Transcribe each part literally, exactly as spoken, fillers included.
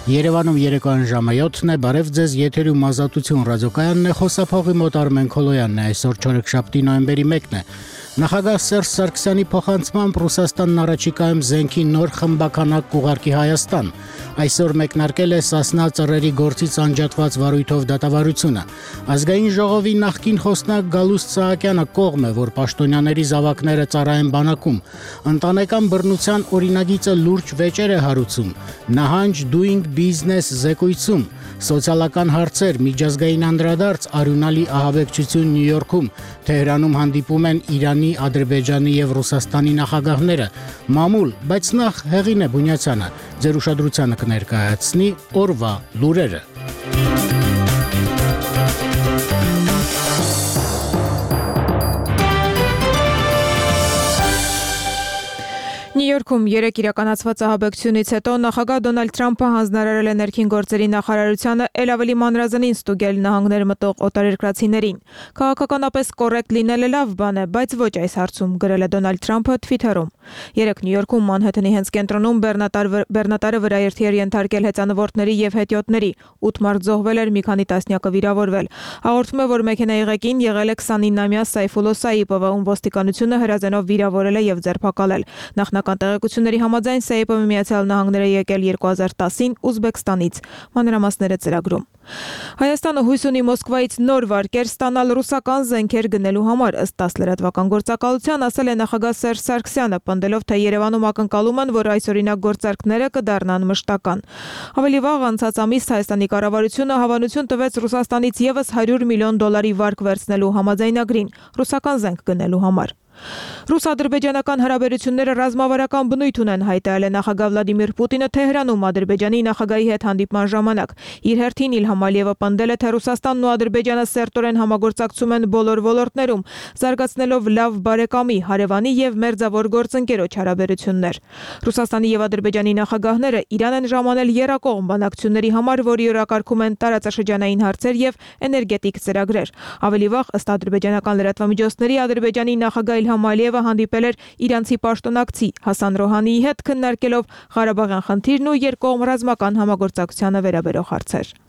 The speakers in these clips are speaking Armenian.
Երևանում երեկոյան ժամը յոթն է, բարև ձեզ, եթերում Ազատություն ռադիոկայանն է, խոսափողի մոտ Արմեն Քոլոյանն է, այսօր չորեքշաբթի նոյեմբերի մեկն է։ Նախագահ Սերժ Սարգսյանի փոխանցմամբ Ռուսաստանն առաջիկայում զենքի նոր խմբականակ կուղարկի Հայաստան։ Այսօր մեկնարկել է Սասնա ծռերի գործից անջատված վարույթով դատավարությունը։ Ազգային ժողովի նախկին խոսնակ Գալուստ Սահակյանը կողմ է, որ պաշտոնյաների զավակները ծառայեն բանակում։ Ընտանեկան բռնության օրինագիծը լուրջ վեճեր է հարուցում։ Նահանջ doing business զեկույցում, սոցիալական հարցեր, միջազգային անդրադարձ, արյունալի ահաբեկչություն Նյու Յորքում, Թեհրանում հանդիպում են Իրանի, Ադրբեջանի եւ Ռուսաստանի նախագահները, մամուլ, բայց նախ Հեղինե Բունյացյանը ձեր ուշադրությանը կներկայացնի օրվա լուրերը։ Նյու Յորքում երեկ իրականացված ահաբեկչությունից հետո նախագահ Դոնալդ Թրամփը հանձնարարել է ներքին գործերի նախարարությանը ել ավելի մանրազնին ստուգել նահանգներ մտող օտարերկրացիներին։ Քաղաքականապես կոռեկտ լինելը լավ բան է, բայց ոչ այս հարցում, գրել է Դոնալդ Թրամփը Թվիթերում։ Երեկ Նյու Յորքում Մանհեթենի հենց կենտրոնում բեռնատարը վրաերթի էր ենթարկել հեծանվորդների եւ հետիոտների, ութ մարդ զոհվել էր, մի քանի տասնյակը վիրավորվել։ Հաղորդում է, որ մեքենայի ղեկին եղել է քսանինամյա Սայֆուլո Սայիպովը, ում ոստիկանությունը հրազենով վիրավորել է եւ ձերբակալել։ Նախնական տեղեկությունների համաձայն Սայիպովը Միացյալ Նահանգներ է եկել երկու հազար տասին Ուզբեկստանից։ Մանրամասները ծրագրում։ Հայաստանը հույս ունի Մոսկվայից նոր վարկեր ստանալ ռուսական զենքեր գնելու համար, ըստ ՏԱՍՍ լրատվական գործակալության, ասել է նախագահ Սերժ Սարգսյանը, պնդելով, թե Երևանում ակնկալում են, որ այսօրինակ գործարքները կդառնան մշտական։ Ավելի վաղ անցած ամիս Հայաստանի կառավարությունը հավանություն տվեց Ռուսաստանից եւս հարյուր միլիոն դոլարի վարկ վերցնելու համաձայնագրին ռուսական զենք գնելու համար։ Ռուս-ադրբեջանական հարաբերությունները ռազմավարական բնույթ ունեն, հայտարարել է նախագահ Վլադիմիր Պուտինը Թեհրանում Ադրբեջանի նախագահի հետ հանդիպման ժամանակ։ Իր հերթին Իլհամ Ալիևը պնդել է, թե Ռուսաստանն ու Ադրբեջանը սերտորեն համագործակցում են բոլոր ոլորտներում, զարգացնելով լավ բարեկամի, հարևանի եւ մերձավոր գործընկերոջ հարաբերություններ։ Ռուսաստանի եւ Ադրբեջանի նախագահները Իրան են ժամանել եռակողմ բանակցությունների համար, որի օրակարգում են տարածաշրջանային հարցեր եւ էներգետիկ ծրագրեր։ Ավելի վաղ, ըստ ադրբեջանական լրատվամիջոցների, Ադրբեջանի նախագահ Իլհամ Ալիևը հանդիպել էր իրանցի պաշտոնակցի Հասան Ռոհանիի հետ, քննարկելով Ղարաբաղյան խնդիրն ու երկկողմ ռազմական համագործակցությանը վերաբերող հարցեր։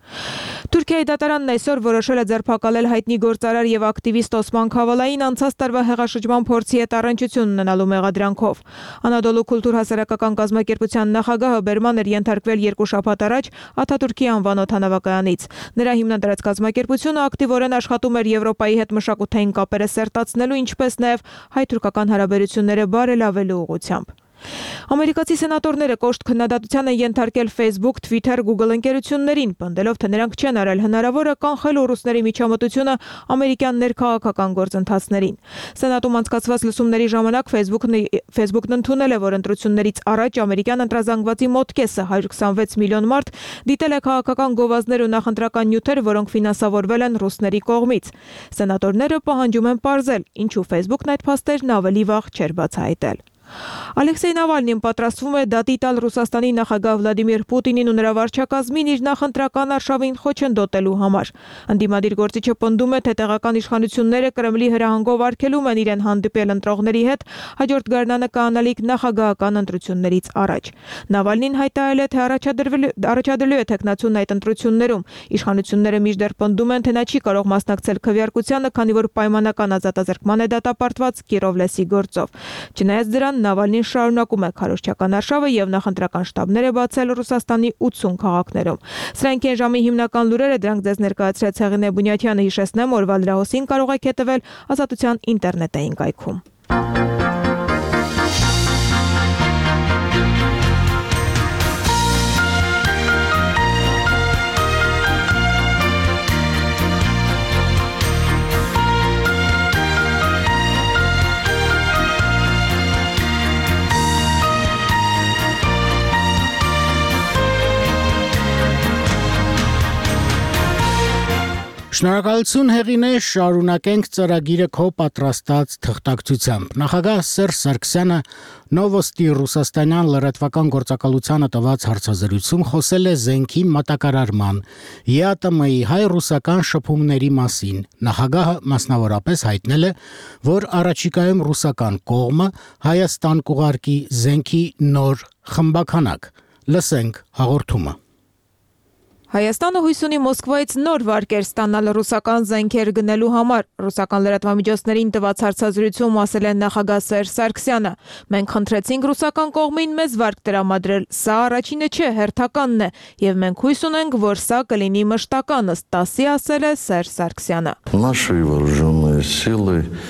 Թուրքիայի դատարանն այսօր որոշել է ձերբակալել հայտնի գործարար եւ ակտիվիստ Օսման Քավալային անցած տարվա հեղաշրջման փորձի հետ առնչություն ունենալու մեղադրանքով։ Անադոլու կուլտուր հասարակական կազմակերպության նախագահը բերման էր ենթարկվել երկու շաբաթ առաջ Աթաթուրքի անվան օդանավակայանից։ Նրա հիմնադրած կազմակերպությունը ակտիվորեն աշխատում էր Եվրոպայի հետ մշակութային կապերը սերտացնելու, ինչպես նաեւ հայ-թուրքական հարաբերությունները բարելավելու ուղղությամբ։ Ամերիկացի սենատորները կոշտ քննադատության են ենթարկել Facebook, Twitter, Google ընկերություններին, պնդելով, թե նրանք չեն արել հնարավորը կանխելու ռուսների միջամտությունը ամերիկյան ներքաղաքական գործընթացներին։ Սենատում անցկացված լսումների ժամանակ Facebook-ն Facebook-ն ընդունել է, որ ընտրություններից առաջ ամերիկյան ընտրազանգվածի մոտ կեսը հարյուր քսանվեց միլիոն մարդ դիտել է քաղաքական գովազդներ ու նախընտրական նյութեր, որոնք ֆինանսավորվել են ռուսների կողմից։ Սենատորները պահանջում են պարզել, ինչու Facebook-ն այդ փաստերն ավելի վաղ չէր բացահայտել։ Ալեքսեյ Նավալնին պատրաստվում է դատի տալ Ռուսաստանի նախագահ Վլադիմիր Պուտինին ու նրա վարչակազմին իր նախընտրական արշավին խոչընդոտելու համար։ Ընդդիմադիր գործիչը պնդում է, թե տեղական իշխանությունները Կրեմլի հրահանգով արգելում են իրեն հանդիպել ընտրողների հետ հաջորդ գարնանը կանալիք նախագահական ընտրություններից առաջ։ Նավալնին հայտարարել է, թե առաջադրելու է թեկնածուն այդ ընտրություններում։ Իշխանությունները մինչդեռ պնդում են, թե նա չի կարող մասնակցել քվեարկությանը, քանի որ պայմանական ազատազրկման է դատապարտված Կիրովլեսի գործով։ Չնայած դրան, Նավալնին շարունակում է քարոզչական արշավը եւ նախընտրական շտաբներ է բացել Ռուսաստանի ութսուն քաղաքներում։ Սրանք են ժամի հիմնական լուրերը, դրանք ձեզ ներկայացրեց Հեղինե Բունյացյանը, հիշեցնեմ, օրվա լրահոսին կարող եք հետևել Ազատության ինտերնետային կայքում։ Շնորհակալություն Հեղինե, շարունակենք ծրագիրը քո պատրաստած թղթակցությամբ։ Նախագահ Սերժ Սարգսյանը Նովոստի ռուսաստանյան լրատվական գործակալությանը տված հարցազրույցում խոսել է զենքի մատակարարման, ԵԱՏՄ-ի հայ-ռուսական շփումների մասին։ Նախագահը մասնավորապես հայտնել է, որ առաջիկայում ռուսական կողմը Հայաստան կուղարկի զենքի նոր խմբականակ։ Լսենք հաղորդումը։ Հայաստանը հույս ունի Մոսկվայից նոր վարկեր ստանալ ռուսական զենքեր գնելու համար։ Ռուսական լրատվամիջոցներին տված հարցազրույցում ասել է նախագահ Սերժ Սարգսյանը. «Մենք խնդրեցինք ռուսական կողմին մեզ վարկ տրամադրել, սա առաջինը չէ, հերթականն է, եւ մենք հույս ունենք, որ սա կլինի մշտական», ըստ ՏԱՍ-ի ասել է Սերժ Սարգսյանը։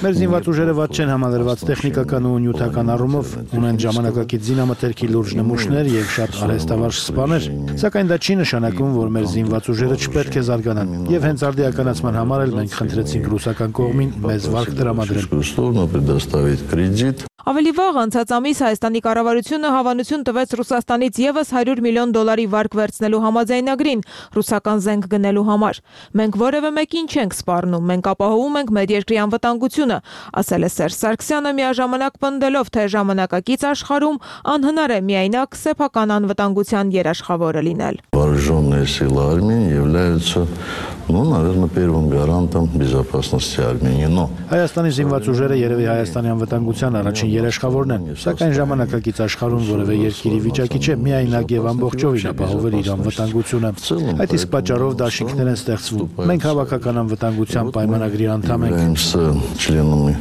Մեր զինված ուժերը ված չեն համալրված տեխնիկական ու նյութական առումով, ունեն ժամանակակից զինամթերքի լուրջ նմուշներ եւ շատ արհեստավարժ սպաներ, սակայն դա չի նշանակում, որ մեր զինված ուժերը չպետք է զարգանան, եւ հենց արդիականացման համար էլ մենք խնդրեցինք ռուսական կողմին մեզ վարկ տրամադրել։ Ավելի վաղ անցած ամիս Հայաստանի կառավարությունը հավանություն տվեց Ռուսաստանից եւս հարյուր միլիոն դոլարի վարկ վերցնելու համաձայնագրին ռուսական զենք գնելու համար։ Մենք որևէ մեկին չենք սպառնում, մենք ապահովում ենք մեր երկրի անվտանգությունը, ասել է Սերժ Սարգսյանը, միաժամանակ պնդելով, թե ժամանակակից աշխարհում անհնար է միայնակ սեփական անվտանգության երաշխավորը լինել։ Вооруженные силы Армении являются, ну, наверное, первым гарантом безопасности Армении. Но Հայաստանի զինված ուժերը երևի Հայաստանի անվտանգության առաջին երաշխավորն են, սակայն ժամանակակից աշխարհում որևէ երկիրի վիճակի չէ միայնակ եւ ամբողջովին ապահովել իր անվտանգությունը։ Այդ իսկ պատճառով դաշինքներ են ստեղծվում։ Մենք հավաքական անվտանգության պայմանագրի անդամ ենք։ членами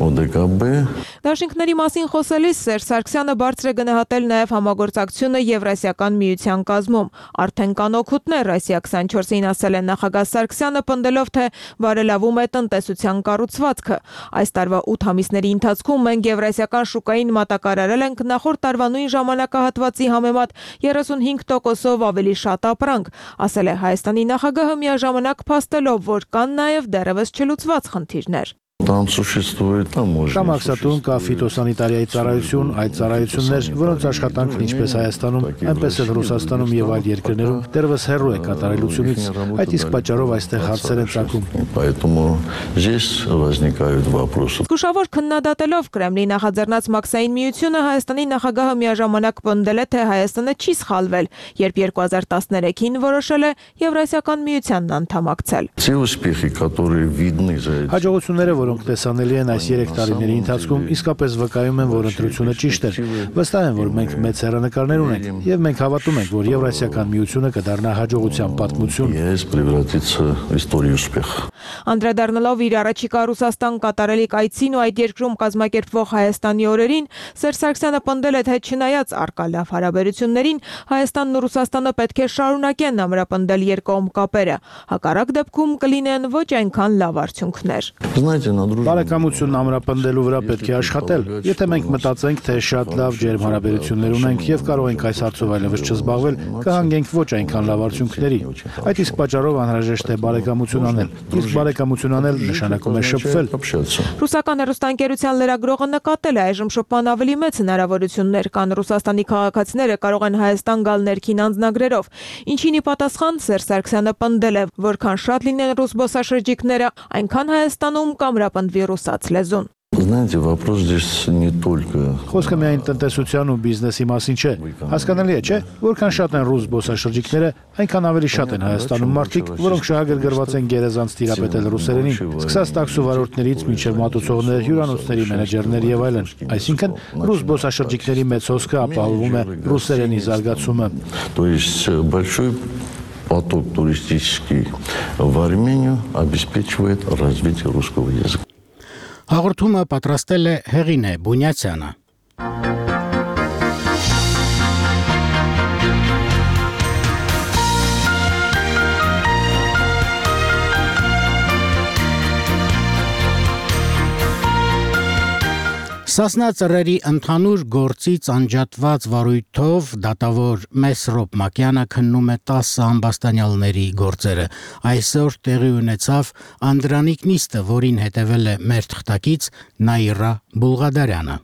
ՕԴԿԲ Դաշինքների մասին խոսելիս Սերժ Սարգսյանը բարձր է գնահատել նաև համագործակցությունը Եվրասիական միության կազմում։ Արդեն կան օգուտներ, Ռոսիա քսանչորսին ասել է նախագահ Սարգսյանը, պնդելով, թե բարելավում է տնտեսության կառուցվածքը։ Այս տարվա ութ ամիսների ընթացքում մենք եվրասիական շուկային մատակարարել ենք նախորդ տարվա նույն ժամանակահատվածի համեմատ երեսունհինգ տոկոսով ավելի շատ ապրանք, ասել է Հայաստանի նախագահը, միաժամանակ փաստելով, որ կան նաև դեռևս չլուծված խնդիրներ։ Там существует, там может. Կա մաքսատուն, կա ֆիտոսանիտարիայի ծառայություն, այդ ծառայություններ, որոնց աշխատանքն ինչպես Հայաստանում, այնպես էլ Ռուսաստանում եւ այլ երկրներում դեռևս հեռու է կատարելությունից, այդ իսկ պատճառով այստեղ հարցեր են ծագում։ Поэтому здесь возникают вопросы. Զգուշավոր քննադատելով Կրեմլի նախաձեռնած մաքսային միությունը, Հայաստանի նախագահը միաժամանակ պնդել է, թե Հայաստանը չի սխալվել, երբ երկու հազար տասներեքին որոշել է Եվրասիական միությանն անդամակցել։ Те успехи, которые видны за этим. Հաջողությունները, որոնք տեսանելի են այս երեք տարիների ընթացքում, իսկապես վկայում են, որ ընտրությունը ճիշտ էր։ Վստահ եմ, որ մենք մեծ հեռանկարներ ունենք, եւ մենք հավատում ենք, որ Եվրասիական միությունը կդառնա հաջողության պատմություն։ ЕС превратится в историю успеха. Անդրադառնալով իր առաջիկա Ռուսաստան կատարելիք այցին ու այդ երկրում կազմակերպվող Հայաստանի օրերին, Սերժ Սարգսյանը պնդել է, թե չնայած առկա լավ հարաբերություններին, Հայաստանն ու Ռուսաստանը պետք է շարունակեն ամրապնդել երկկողմ կապերը։ Հակառակ դեպքում կլինեն ոչ այնքան լավ արդյունքներ։ Знаете, на дружбу. Բարեկամությունն ամրապնդելու վրա պետք է աշխատել։ Եթե մենք մտածենք, թե շատ լավ ջերմ հարաբերություններ ունենք եւ կարող ենք այս հարցով այլևս չզբաղվել, կհանգենք ոչ այնքան լավ արդյունքների։ Այդ իսկ պատճառով անհրաժեշտ է բարեկամություն անել։ Իսկ բարեկամություն անել նշանակում է շփվել։ Ռուսական հեռուստաընկերության լրագրողը նկատել է այժմ շփման ավելի մեծ հնարավորություններ կան Ռուսաստանի քաղաքացիները կարող են Հայաստան գալ ներքին անձնագրերով, ինչին ի պատասխան Սերժ Սարգսյանը պնդել է, որքան շատ լինեն ռուս զբոսաշրջիկները, այնքան Հայաստանում կամրապնդվի ռուսաց լեզուն։ Знаете, вопрос здесь не только. Խոսքը միայն տնտեսության ու բիզնեսի մասին չէ։ Հասկանալի է, չէ՞, որքան շատ են ռուս զբոսաշրջիկները, այնքան ավելի շատ են Հայաստանում մարդիկ, որոնք շահագրգռված են գերազանց տիրապետել ռուսերենին, սկսած տաքսու վարորդներից մինչև մատուցողներ, հյուրանոցների մենեջերներ եւ այլն։ Այսինքն ռուս զբոսաշրջիկների մեծ հոսքը ապահովում է ռուսերենի զարգացումը։ То есть большой поток туристический в Армению обеспечивает развитие русского языка. Հաղորդումը պատրաստել է Հեղինե Բունյացյանը։ Սասնա ծռերի ընդհանուր գործից անջատված վարույթով դատավոր Մեսրոպ Մակյանը քննում է տասը ամբաստանյալների գործերը։ Այսօր տեղի ունեցավ Անդրանիկ նիստը, որին հետևել է մեր թղթակից Նաիրա Բուլղադարյանը։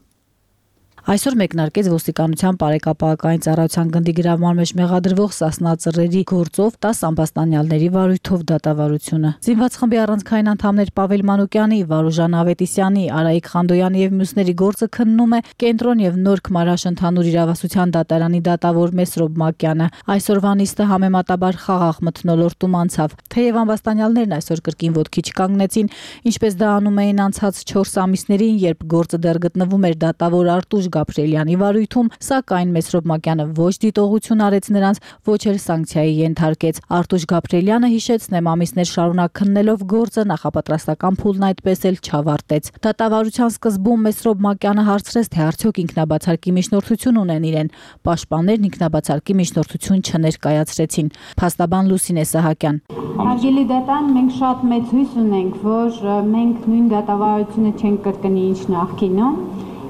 Այսօր մեկնարկեց ոստիկանության բարեկապահական ծառայության գնդի գրավման մեջ մեղադրվող Սասնա ծռերի գործով տասը ամբաստանյալների վարույթով դատավարությունը։ Զինված խմբի առանցքային անդամներ Պավել Մանուկյանի, Վարուժան Ավետիսյանի, Արայիկ Խանդոյանի եւ մյուսների գործը քննում է Կենտրոն եւ Նոր Քմարաշ ընդհանուր իրավասության դատարանի դատավոր Մեսրոպ Մակյանը։ Այսօրվա նիստը համեմատաբար խաղաղ մթնոլորտում անցավ։ Թեև ամբաստանյալներն այսօր կրկին ոտքի չկանգնեցին, ինչպես դա անում էին անցած չորս ամիսներին, երբ գործը դեռ գտնվում էր դատավոր Արտուշ Գաբրիելյանի վարույթում, սակայն Մեսրոբ Մակյանը ոչ դիտողություն արեց նրանց, ոչ էլ սանկցիայի ենթարկեց։ Արտուշ Գաբրիելյանը հիշեցնեմ ամիսներ շարունակ քննելով գործը նախապատրաստական փուլն այդպես էլ չավարտեց։ Դատավարության սկզբում Մեսրոբ Մակյանը հարցրեց, թե արդյոք ինքնաբացարկի միջնորդություն ունեն իրեն։ Պաշտպաններն ինքնաբացարկի միջնորդություն չներկայացրեցին։ Փաստաբան Լուսինե Սահակյան. Հարգելի դատան, մենք շատ մեծ հույս ունենք, որ մենք նույն դատավարությունը չենք կրկնի ինչ նախկինում,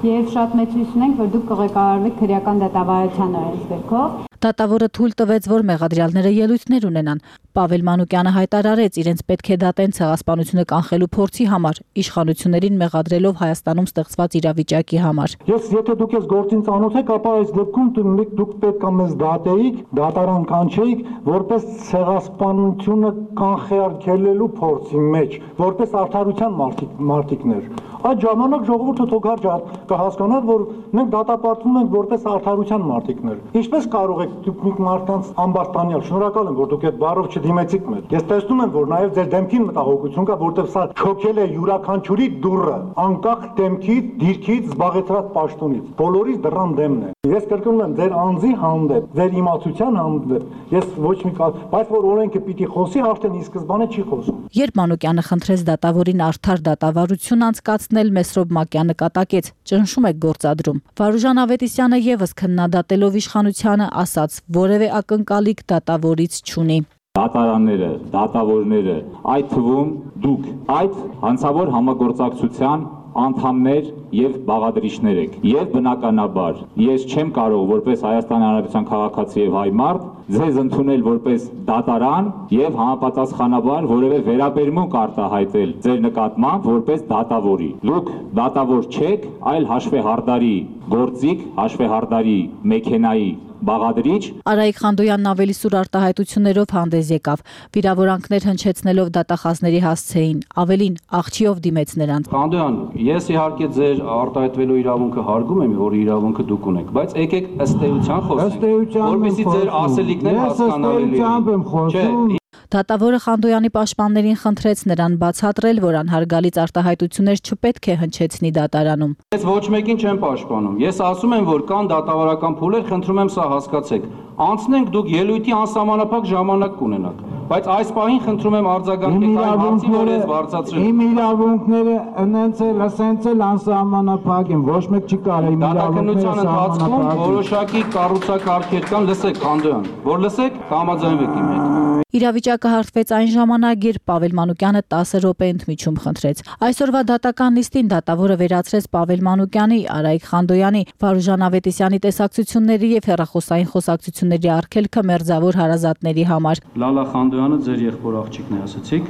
եւ շատ մեծ հույս ունենք, որ դուք կղեկավարվեք քրեական դատավարության օրենսգրքով։ Դատավորը թույլ տվեց, որ մեղադրյալները ելույթներ ունենան։ Պավել Մանուկյանը հայտարարեց, իրենց պետք է դատեն ցեղասպանությունը կանխելու փորձի համար, իշխանություններին մեղադրելով Հայաստանում ստեղծված իրավիճակի համար։ Ես եթե դուք ես գործին ծանոթ եք, ապա այս դեպքում դուք պետք է մեզ դատեիք, դատարան կանչեիք, որպես ցեղասպանությունը կանխելու փորձի մեջ, որպես արդարության մարտիկներ։ Այդ ժամանակ ժողովուրդը թողարկի կհասկանար, որ մենք դատապարտվում ենք որպես արդարության մարտիկներ։ Ինչպես կարող եք դուք մի մարդկանց ամբարտանյալ, շնորհակալ եմ, որ դուք այդ բառով չդիմեցիք մեզ։ Ես տեսնում եմ, որ նաև ձեր դեմքին մտահոգություն կա, որտեղ սա չոքել է յուրաքանչյուրի դուռը, անկախ դեմքից, դիրքից, զբաղեցրած պաշտոնից։ Բոլորիս դռան դեմն է։ Ես կրկնում եմ, ձեր անձի հանդեպ, ձեր իմացության հանդեպ, ես ոչ մի կա, բայց որ օրենքը պիտի խոսի, արդեն ի սկզբանե չի խոսում։ Երբ Մանուկյանը խնդրեց դատավորին արդար դատավարություն անցկացնել, Մեսրոբ Մակյանը կատակեց. ճնշում եք գործադրում։ Վարուժան Ավետիսյանը եւս քննադատելով իշխանությանը ասաց, որևէ ակնկալիք դատավորից չունի։ Դատարանները, դատավորները, այդ թվում դուք, այդ հանցավոր համագործակցության անդամներ եւ բաղադրիչներ եք։ Եվ բնականաբար, ես չեմ կարող որպես Հայաստանի Հանրապետության քաղաքացի եւ հայ մարդ ձեզ ընդունել որպես դատարան եւ համապատասխանաբար որևէ վերաբերմունք արտահայտել ձեր նկատմամբ որպես դատավորի։ Դուք դատավոր չեք, այլ հաշվեհարդարի գործիք, հաշվեհարդարի մեքենայի բաղադրիչ։ Արայիկ Խանդոյանն ավելի սուր արտահայտություններով հանդես եկավ, վիրավորանքներ հնչեցնելով դատախազների հասցեին, ավելին աղջիով դիմեց նրանց։ Խանդոյան, ես իհարկե ձեր արտահայտվելու իրավունքը հարգում եմ, որ իրավունքը դուք ունեք, բայց եկեք ըստ էության խոսենք, որպեսզի ձեր ասելիքները հասկանալի լինեն։ Դատավորը Խանդոյանի պաշտպաններին խնդրեց նրան բացատրել, որ անհարգալից արտահայտություններ չպետք է հնչեցնի դատարանում։ Ես ոչ մեկին չեմ պաշտպանում։ Ես ասում եմ, որ կան դատավարական փուլեր, խնդրում եմ սա հասկացեք։ Անցնենք, դուք ելույթի անսահմանափակ ժամանակ կունենաք, բայց այս պահին խնդրում եմ արձագանքեք այն հարցին, որ ես բարձրացրել եմ։ Իմ իրավունքները ընենց էլ, ասենց էլ անսահմանափակ են, ոչ մեկ չի կարող իմ իրավունքները ընթացքում որոշակի կառուցակարգեր կան, լսեք Խանդոյան, որ լսեք, կհամաձայնվեք իմ հետ։ Իրավիճակը հարթվեց այն ժամանակ, երբ Պավել Մանուկյանը տասը րոպե ընդմիջում խնդրեց։ Այսօրվա դատական նիստին դատավորը վերացրեց Պավել Մանուկյանի, Արայիկ Խանդոյանի, Վարուժան Ավետիսյանի տեսակցությունների եւ հեռախոսային խոսակցությունների արգելքը մերձավոր հարազատների համար։ Լալա Խանդոյանը ձեր եղբոր աղջիկն է, ասացիք։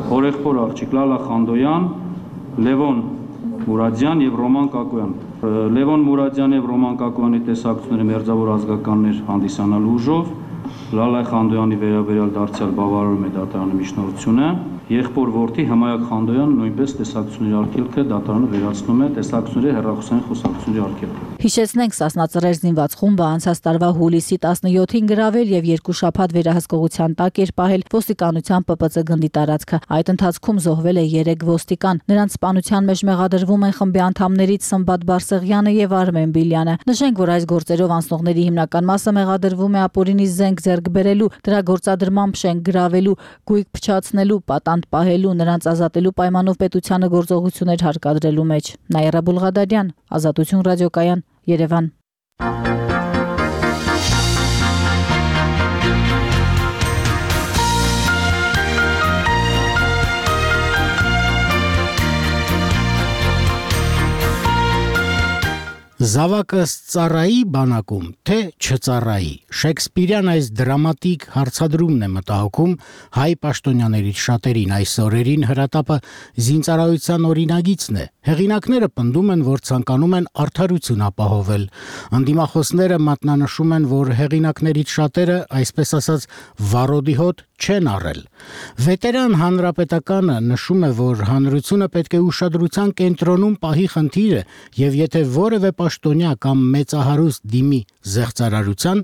Հորեղբոր աղջիկ Լալա Խանդոյան, Լևոն Մուրադյան եւ Ռոման Կակոյան։ Լևոն Մուրադյան եւ Ռոման Կակոյանի տեսակցությունները մերձավոր ազգականներ հանդիսանալու ուժով Լալա Խանդոյանի վերաբերյալ դարձյալ բավարարում է դատարանի միջնորդությունը։ Եղբոր որդի Հմայակ Խանդոյանը նույնպես տեսակցությունների արգելքը դատարանը վերացնում է տեսակցությունների հեռախոսային խոսակցությունների արգելքը։ Հիշեցնենք, Սասնա Ծռեր զինված խումբը անցած տարվա հուլիսի տասնյոթին գրավել եւ երկու շաբաթ վերահսկողության տակ էր պահել ոստիկանության Պ Պ Ծ գնդի տարածքը։ Այդ ընթացքում զոհվել է երեք ոստիկան։ Նրանց սպանության մեջ մեղադրվում են խմբի անդամներից Սմբատ Բարսեղյանը եւ Արմեն Բիլյանը։ Նշենք, որ այս գործերով անցնողների հիմնական մասը մեղադրվում է ապօրինի զենք ձեռք բերելու, դրա գործադրմամբ շենք գրավելու, գույք փչացնելու, պատանդ պահելու, նրանց ազատելու պայմանով պետությանը գործողություններ հարկադրելու մեջ։ Նաիրա Բուլղադարյան, Ազատություն ռադիոկայան, Երևան։ Զավակը ծառայի բանակում, թե չծառայի։ Շեքսպիրյան այս դրամատիկ հարցադրումն է մտահոգում հայ պաշտոնյաներից շատերին։ Այս օրերին հրատապը զինծառայության օրինագիծն է։ Հեղինակները պնդում են, որ ցանկանում են արդարություն ապահովել։ Անդիմախոսները մատնանշում են, որ հեղինակներից շատերը, այսպես ասած, վարոդի հոտ չեն առել։ Վետերան հանրապետականը նշում է, որ հանրությունը պետք է ուշադրության կենտրոնում պահի խնդիրը, եւ եթե որևէ պաշտոնյա կամ մեծահարուստ դիմի զեղծարարության,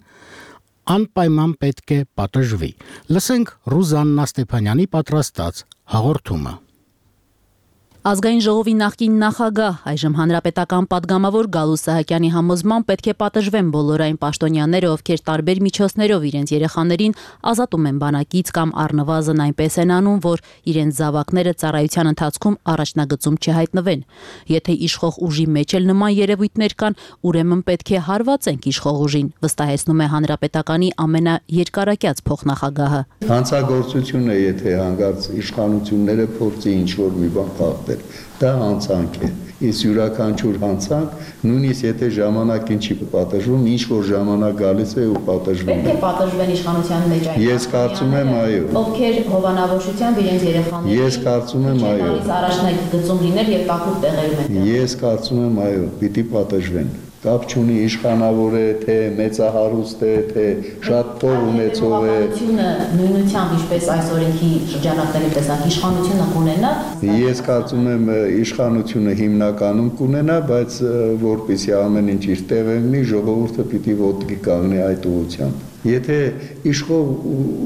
անպայման պետք է պատժվի։ Լսենք Ռուզաննա Ստեփանյանի պատրաստած հաղորդումը։ Ազգային ժողովի նախկին նախագահ, այժմ հանրապետական պատգամավոր Գալուստ Սահակյանի համոզմամբ պետք է պատժվեն բոլոր այն պաշտոնյաները, ովքեր տարբեր միջոցներով իրենց երեխաներին ազատում են բանակից կամ առնվազն այնպես են անում, որ իրենց զավակները ծառայության ընթացքում առաջնագծում չհայտնվեն։ Եթե իշխող ուժի մեջ էլ նման երևույթներ կան, ուրեմն պետք է հարվածենք իշխող ուժին, վստահեցնում է հանրապետականի ամենաերկարակյաց փոխնախագահը։ Հանցագործությունը, եթե հանգարց իշխանությունները փորձի ինչ-որ մի բան խախտել, դա հանցանք է։ Իսկ յուրաքանչյուր հանցանք, նույնիսկ եթե ժամանակին չի պատժվում, ինչ որ ժամանակ գալիս է ու պատժվում է։ Պետք է պատժվեն իշխանության մեջ այն։ Ես կարծում եմ, այո։ Ովքեր հովանավորությամբ իրենց երեխաներին։ Ես կարծում եմ, այո։ Առաջնագծում լինել եւ տակուտ տեղերում են։ Ես կարծում եմ, այո, պիտի պատժվեն։ Կապ չունի իշխանավոր է, թե մեծահարուստ է, թե շատ փող ունեցող է։ Նույնությամբ ինչպես այս օրենքի շրջանակների տեսակ իշխանությունը կունենա։ Ես կարծում եմ իշխանությունը հիմնականում կունենա, բայց որպեսզի ամեն ինչ իր տեղը լինի, ժողովուրդը պիտի ոտքի կանգնի այդ ուղղությամբ։ Եթե իշխող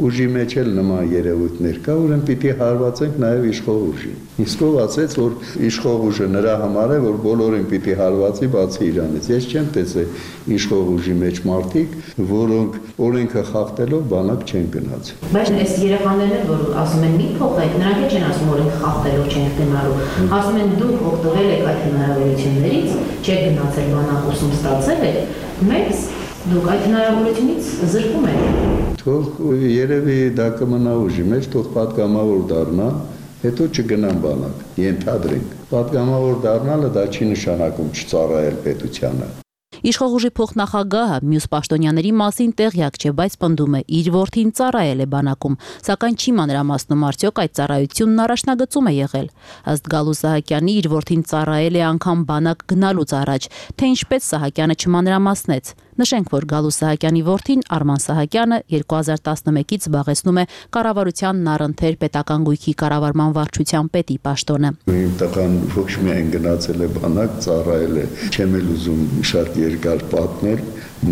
ուժի մեջ էլ նման երևույթներ կա, ուրեմն պիտի հարվածենք նաև իշխող ուժին։ Իսկ ով ասեց, որ իշխող ուժը նրա համար է, որ բոլորին պիտի հարվածի, բացի իրանից։ Ես չեմ տեսել իշխող ուժի մեջ մարդիկ, որոնք օրենքը խախտելով բանակ չեն գնաց։ Բայց այս երեխաներն, որ ասում են մի փոխեք, նրանք էլ չեն ասում, որ օրենք խախտելով չեն գնալու։ Ասում են դուք օգտվել եք այդ հնարավորություններից, չեք գնացել բանակ ուսում ստացել եք, մեծ դուք այդ հնարավորությունից զրկում եք։ Թող երևի դա կմնա ուժի մեջ, թող պատգամավոր դառնա, հետո չգնան բանակ, ենթադրենք։ Պատգամավոր դառնալը դա չի նշանակում չծառայել պետությանը։ Իշխող ուժի փոխնախագահը մյուս պաշտոնյաների մասին տեղյակ չէ, բայց պնդում է իր որդին ծառայել է բանակում, սակայն չի մանրամասնում արդյոք այդ ծառայությունն առաջնագծում է եղել։ Ըստ Գալուստ Սահակյանի իր որդին ծառայել է անգամ բանակ գնալուց առաջ, թե ինչպես Սահակյանը չմանրամասնեց։ Նշենք, որ Գալուստ Սահակյանի որդին Արման Սահակյանը երկու հազար տասնմեկից զբաղեցնում է կառավարության Նարընթեր պետական գույքի կառավարման վարչության պետի պաշտոնը։ Իմ տղան ոչ միայն գնացել է բանակ, ծառայել է, չեմ էլ ուզում շատ երկար պատմել,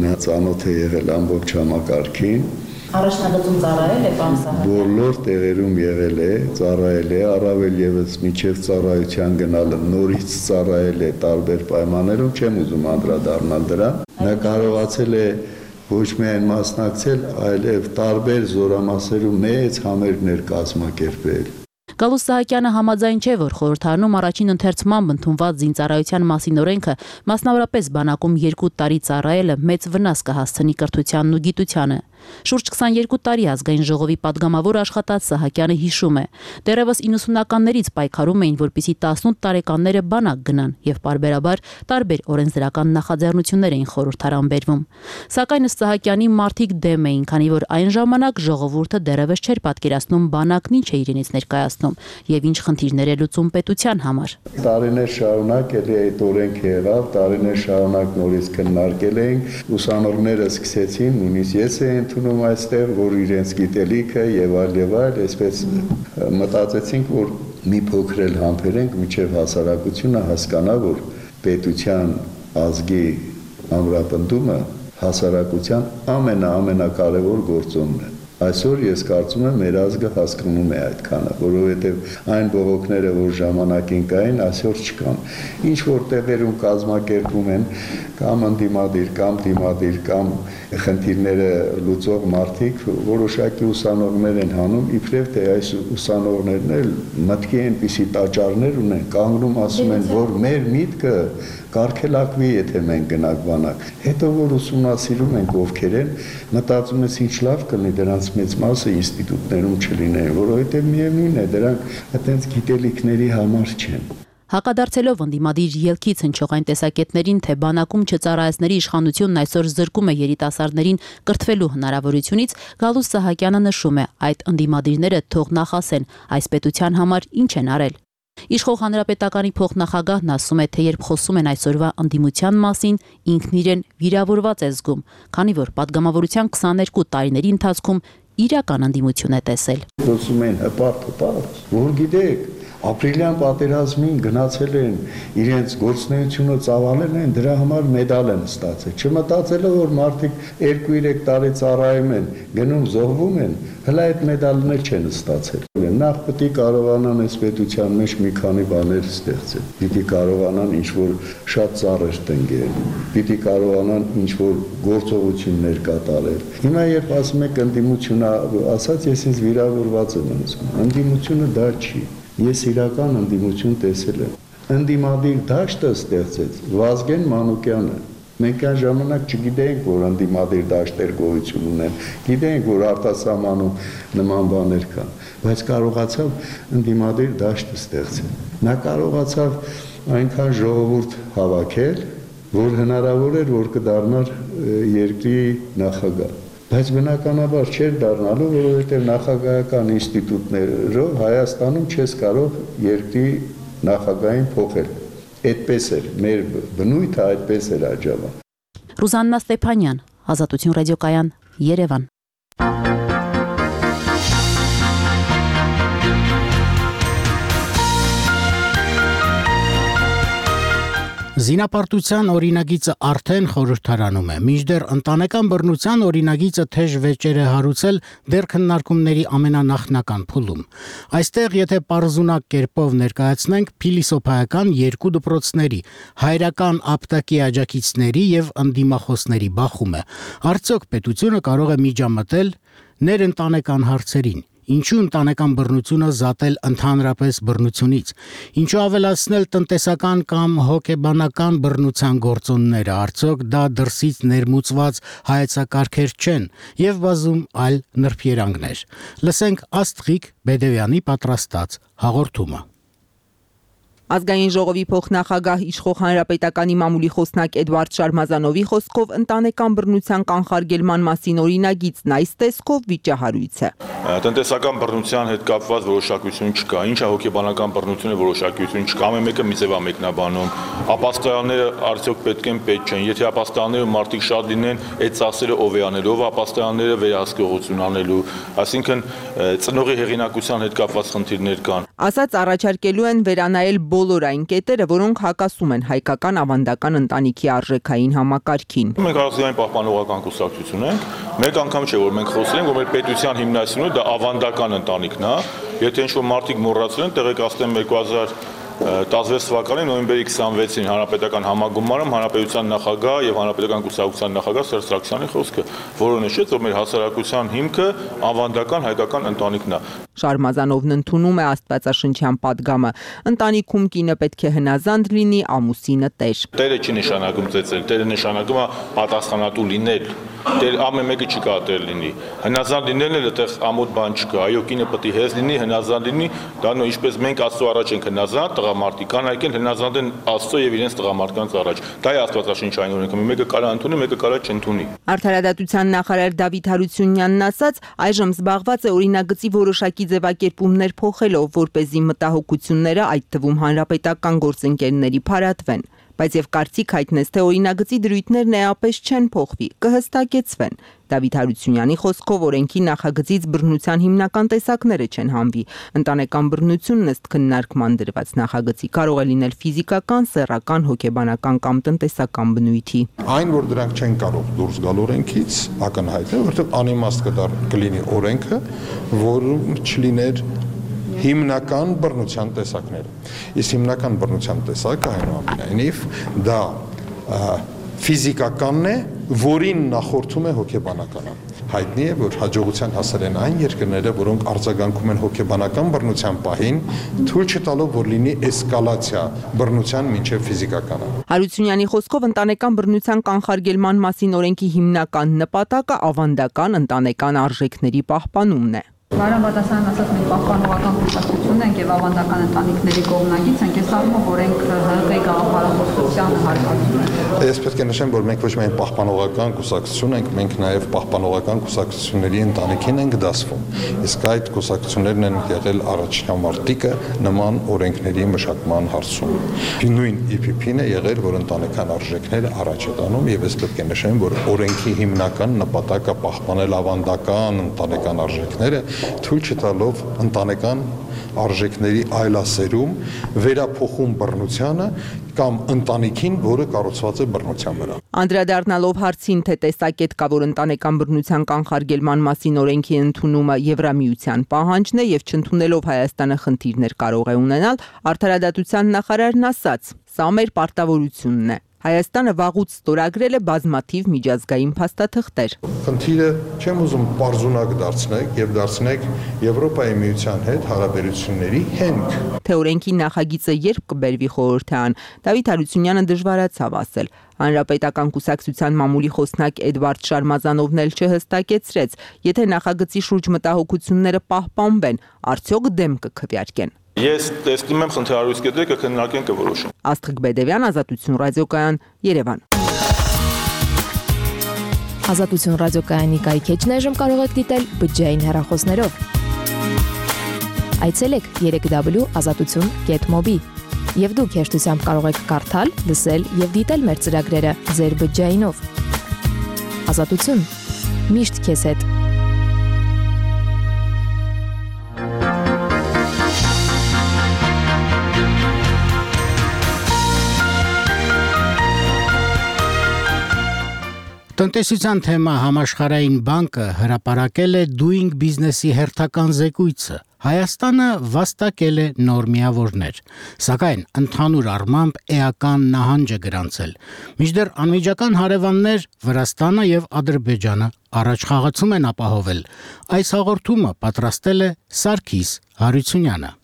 նա ծանոթ է եղել ամբողջ համակարգին։ Առաջնագծում ծառայել է պարոն Սահակյանը։ Բոլոր տեղերում եղել է, ծառայել է, առավել եւս միջև ծառայության գնալը նորից ծառայել է տարբեր պայմաններում, չեմ ուզում անդրադառնալ դրան։ Նա կարողացել է ոչ միայն մասնակցել, այլև տարբեր զորամասերում մեծ համերգներ կազմակերպել։ Գալուստ Սահակյանը համաձայն չէ, որ խորհրդարանում առաջին ընթերցումամբ ընդունված զինծառայության մասին օրենքը, մասնավորապես բանակում երկու տարի ծառայելը մեծ վնաս կհասցնի կրթությանն ու գիտությանը։ Շուրջ քսաներկու տարի ազգային ժողովի падգամավոր աշխատած Սահակյանը հիշում է. դեռևս իննսունականներից պայքարում էին, որպեսզի տասնութ տարեկանները բանակ գնան եւ պարբերաբար տարբեր օրենսդրական նախաձեռնություններ էին խորհրդարան բերվում։ Սակայն ըստ Սահակյանի մարդիկ դեմ էին, քանի որ այն ժամանակ ժողովուրդը դեռևս չէր պատկերացնում բանակն ինչ է իրենից ներկայացնում եւ ինչ խնդիրներ է լուծում պետության համար։ Տարիներ շարունակ էլի այդ օրենքը եղավ, տարիներ շարունակ նորից քննարկել էինք, ուսանողները սկսեցին, նույնիսկ ես եմ ընդունում այստեղ, որ իրենց գիտելիքը եւ այլ եւ այլ, այսպես մտածեցինք, որ մի փոքր էլ համբերենք, մինչեւ հասարակությունը հասկանա, որ պետության ազգի ամրապնդումը հասարակության ամենա-ամենակարևոր գործոնն է։ Այսօր ես կարծում եմ մեր ազգը հասկանում է այդքանը, որովհետև այն բողոքները, որ ժամանակին կային, այսօր չկան։ Ինչ որ տեղերում կազմակերպում են կամ ընդդիմադիր, կամ դիմադիր, կամ խնդիրները լուծող մարդիկ, որոշակի ուսանողներ են հանում, իբրև թե այս ուսանողներն էլ մտքի այնպիսի տաճարներ ունեն, կանգնում ասում են, որ մեր միտքը կարգելակվի, եթե մենք գնանք բանակ։ Հետո որ ուսումնասիրում ենք ովքեր են, մտածում ես ինչ լավ կլինի դրանց մեծ մասը ինստիտուտներում չլինեն, որովհետև միևնույն է, դրանք այդպես գիտելիքների համար չեն։ Հակադարձելով ընդդիմադիր ելքից հնչող այն տեսակետներին, թե բանակում չծառայեցների իշխանությունն այսօր զրկում է երիտասարդներին կրթվելու հնարավորությունից, Գալուստ Սահակյանը նշում է, այդ ընդդիմադիրները թող նախասեն, այս պետության համար ինչ են արել։ Իշխող հանրապետականի փոխնախագահն ասում է, թե երբ խոսում են այսօրվա ընդդիմության մասին, ինքն իրեն վիրավորված է զգում, քանի որ падգամավորության քսաներկու տարիների ընթացքում իրական ընդդիմություն է տեսել։ Խոսում են հպարտ, հպարտ, որ գիտեք, ապրիլյան պատերազմին գնացել են, իրենց գործունեությունը ծավալել են, դրա համար մեդալ են ստացել։ Չմտածելով, որ մարդիկ երկու-երեք տարի ծառայում են, գնում զոհվում են, հələ այդ մեդալներ չեն ստացել։ Նախ պետք է կարողանան այս պետության մեջ մի քանի բաներ ստեղծել։ Պիտի կարողանան ինչ-որ շատ ծառեր տնկել, պիտի կարողանան ինչ-որ գործողություններ կատարել։ Հիմա երբ ասում եք ընդդիմությունը, ասած ես ինձ վիրավորված եմ զգում։ Ընդդիմությունը դա չի։ Ես իրական ընդդիմություն տեսել եմ։ Ընդդիմադիր դաշտը ստեղծեց Վազգեն Մանուկյանը։ Մենք այն ժամանակ չգիտեինք, որ ընդդիմադիր դաշտեր գոյություն ունեն, գիտեինք, որ արտասահմանում նման բաներ կան, բայց կարողացավ ընդդիմադիր դաշտը ստեղծել։ Նա կարողացավ այնքան ժողովուրդ հավաքել, որ հնարավոր էր, որ կդառնար երկրի նախագահ։ Բայց բնականաբար չէր դառնալու, որովհետև նախագահական ինստիտուտներով Հայաստանում չես կարող երկրի նախագահին փոխել։ Այդպես էր, մեր բնույթը այդպես էր աջավա։ Ռուզաննա Ստեփանյան, Ազատություն ռադիոկայան, Երևան։ Զինապարտության օրինագիծը արդեն խորհրդարանում է, մինչդեռ ընտանեկան բռնության օրինագիծը թեժ վեճեր է հարուցել դեռ քննարկումների ամենանախնական փուլում։ Այստեղ, եթե պարզունակ կերպով ներկայացնենք փիլիսոփայական երկու դպրոցների, հայրական ապտակի աջակիցների եւ ընդդիմախոսների բախումը, արդյոք պետությունը կարող է միջամտել ներընտանեկան հարցերին։ Ինչու ընտանեկան բռնությունը զատել ընդհանրապես բռնությունից, ինչու ավելացնել տնտեսական կամ հոգեբանական բռնության գործոնները, արդյոք դա դրսից ներմուծված հայեցակարգեր չեն եւ բազում այլ նրբերանգներ։ Լսենք Աստղիկ Բեդևյանի պատրաստած հաղորդումը։ Ազգային ժողովի փոխնախագահ իշխող հանրապետականի մամուլի խոսնակ Էդվարդ Շարմազանովի խոսքով ընտանեկան բռնության կանխարգելման մասին օրինագիծն այս տեսքով վիճահարույց է։ Տնտեսական բռնության հետ կապված որոշակություն չկա, ինչա հոգեբանական բռնությունը որոշակություն չկա, ամեն մեկը մի ձև է մեկնաբանում։ Ապաստարանները արդյոք պետք են պետք չեն, եթե ապաստարանները մարդիկ շատ լինեն, այդ ծախսերը ով է անել, ով ապաստարանները վերահսկողություն անելու, այսինքն ծնողի հեղինակության հետ կապված խնդիրներ կան։ Ասած առաջարկելու են վերանայել բոլոր այն կետերը, որոնք հակասում են հայկական ավանդական ընտանիքի արժեքային համակարգին։ Մենք Ազգային պահպանողական կուսակցություն ենք, մեկ անգամ չէ, որ մենք խոսել ենք, որ մեր պետության հիմնասյունը դա ավանդական ընտանիքն է, եթե ինչ-որ մարդիկ մոռացել են, տեղեկացնեմ երկու հազար տասնվեց թվականի նոյեմբերի քսանվեցին հանրապետական համագումարում հանրապետության նախագահ եւ հանրապետական կուսակցության նախագահ Սերժ Սարգսյանի խոսքը, որը նշեց, որ մեր հասարակության հիմքը ավանդական հայկական ընտանիքն է։ Շարմազանովն ընդունում է աստվածաշնչյան պատգամը։ Ընտանիքում կինը պետք է հնազանդ լինի, ամուսինը տեր։ Տերը չի նշանակում ծեծել, տերը նշանակում է պատասխանատու լինել։ Տեր ամեն մեկը չի կարող տեր լինի։ Հնազանդ լինելն էլ այդտեղ ամոթ բան չկա։ Այո, կինը պետք է հեզ լինի, հնազանդ լինի, դա նո ինչպես մենք Աստծո առաջ ենք հնազանդ, տղամարդիկ կան այքեն հնազանդ են Աստծո եւ իրենց տղամարդկանց առաջ։ Դա է աստվածաշնչային օրենքը։ Մեկը կարա ընդունի, մեկը կարա չընդունի։ Արդարադատության նախարար Դավիթ Հարությունյանն ասաց, այժմ զբաղված է օրինագծի որոշակի ձևակերպումներ փոխելով, որպեսզի մտահոգությունները, այդ թվում հանրապետական գործընկերների փարատվեն, բայց եւ կարծիք հայտնեց, թե օրինագծի դրույթներն էապես չեն փոխվի, կհստակեցվեն։ Դավիթ Հարությունյանի խոսքով օրենքի նախագծից բռնության հիմնական տեսակները չեն հանվի։ Ընտանեկան բռնությունն ըստ քննարկման դրված նախագծի կարող է լինել ֆիզիկական, սեռական, հոգեբանական կամ տնտեսական բնույթի։ Այն, որ դրանք չեն կարող դուրս գալ օրենքից, ակնհայտ է, որովհետև անիմաստ կլինի օրենքը, որում չլիներ հիմնական բռնության տեսակները։ Իսկ հիմնական բռնության տեսակը այնուամենայնիվ դա ֆիզիկականն է, որին նախորդում է հոգեբանականը։ Հայտնի է, որ հաջողության հասել են այն երկրները, որոնք արձագանքում են հոգեբանական բռնության պահին, թույլ չտալով, որ լինի էսկալացիա բռնության մինչև ֆիզիկականը։ Հարությունյանի խոսքով ընտանեկան բռնության կանխարգելման մասին օրենքի հիմնական նպատակը ավանդական ընտանեկան արժեքների պահպանումն է։ Բարոն Բադասարյան ասաց, մենք պահպանողական կուսակցություն ենք եւ ավանդական ընտանիքների կողմնակից ենք, ես առումով օրենք ՀՀԿ-ի գաղափարախոսությանը հարկադրում է։ Ես պետք է նշեմ, որ մենք ոչ միայն պահպանողական կուսակցություն ենք, մենք նաեւ պահպանողական կուսակցությունների ընտանիքին ենք դասվում։ Իսկ այդ կուսակցություններն են եղել առաջնամարտիկը նման օրենքների մշակման հարցում։ Նույն ի պի պի-ն է եղել, որ ընտանեկան արժեքները առաջ է տանում եւ ես պետք է նշեմ, որ օրենքի հիմնական նպատակը պահպանել ավանդական ընտանեկան արժեքները թույլ չտալով ընտանեկան արժեքների այլասերում, վերափոխում բռնությանը կամ ընտանիքին, որը կառուցված է բռնության վրա։ Անդրադառնալով հարցին, թե տեսակետ կա, որ ընտանեկան բռնության կանխարգելման մասին օրենքի ընդունումը Եվրամիության պահանջն է եւ չընդունելով Հայաստանը խնդիրներ կարող է ունենալ, Արդարադատության նախարարն ասաց. «Սա մեր պարտավորությունն է»։ Հայաստանը վաղուց ստորագրել է բազմաթիվ միջազգային փաստաթղթեր։ Խնդիրը չեմ ուզում պարզունակ դարձնեք եւ դարձնեք Եվրոպայի միության հետ հարաբերությունների հենք։ Թե օրենքի նախագիծը երբ կբերվի խորհրդարան, Դավիթ Հարությունյանը դժվարացավ ասել։ Հանրապետական կուսակցության մամուլի խոսնակ Էդվարդ Շարմազանովն էլ չհստակեցրեց, եթե նախագծի շուրջ մտահոգությունները պահպանվեն, արդյոք դեմ կքվեարկեն։ Ես տեսնում եմ խնդրահարույց կետերը կքննարկեն կորոշում։ Աստղիկ Բեդևյան, Ազատություն ռադիոկայան, Երևան։ Ազատություն ռադիոկայանի կայքեջն այժմ կարող եք դիտել բջջային հեռախոսներով։ Այցելեք երեք w ազատություն կետ մոբի եւ դուք հեշտությամբ կարող եք կարդալ, լսել եւ դիտել մեր ծրագրերը ձեր բջջայինով։ Ազատություն։ Միշտ քեզ հետ։ Տնտեսության թեմա համաշխարհային բանկը հրապարակել է Doing Business-ի հերթական զեկույցը։ Հայաստանը վաստակել է նոր միավորներ, սակայն ընդհանուր առմամբ էական նահանջ է գրանցել։ Մինչդեռ անմիջական հարևաններ Վրաստանը եւ Ադրբեջանը առաջխաղացում են ապահովել։ Այս հաղորդումը պատրաստել է Սարգիս Հարությունյանը։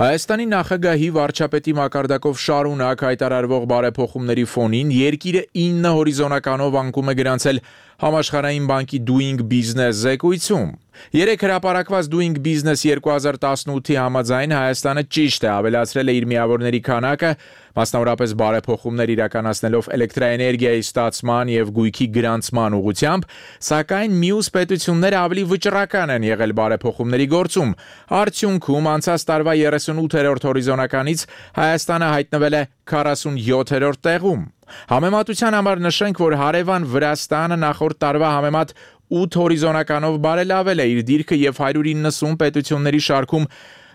Հայաստանի նախագահի վարչապետի մակարդակով շարունակ հայտարարվող բարեփոխումների ֆոնին երկիրը ինը հորիզոնականով անկում է գրանցել Համաշխարհային բանկի Doing Business զեկույցում։ Երեք հրապարակված Doing Business երկու հազար տասնութի համաձայն Հայաստանը ճիշտ է ավելացրել է իր միավորների քանակը, մասնավորապես բարեփոխումներ իրականացնելով էլեկտրաէներգիայի ստացման եւ գույքի գրանցման ուղղությամբ, սակայն մյուս պետությունները ավելի վճռական են եղել բարեփոխումների գործում։ Արդյունքում անցած տարվա երեսունութերորդ հորիզոնականից Հայաստանը հայտնվել է քառասունյոթերորդ տեղում։ Համեմատության համար նշենք, որ հարևան Վրաստանը նախորդ տարվա համեմատ ութ հորիզոնականով բարելավել է իր դիրքը եւ հարյուր իննսուն պետությունների շարքում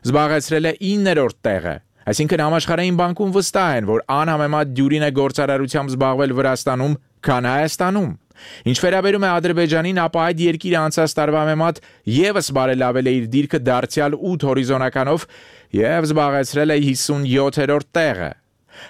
զբաղեցրել է իններորդ տեղը։ Այսինքն համաշխարհային բանկում վստահ են, որ անհամեմատ դյուրին է գործարարությամբ զբաղվել Վրաստանում, քան Հայաստանում։ Ինչ վերաբերում է Ադրբեջանին, ապա այդ երկիրը անցած տարվա համեմատ եւս բարելավել է իր դիրքը դարձյալ ութ հորիզոնականով եւ զբաղեցրել է հիսունյոթերորդ տեղը։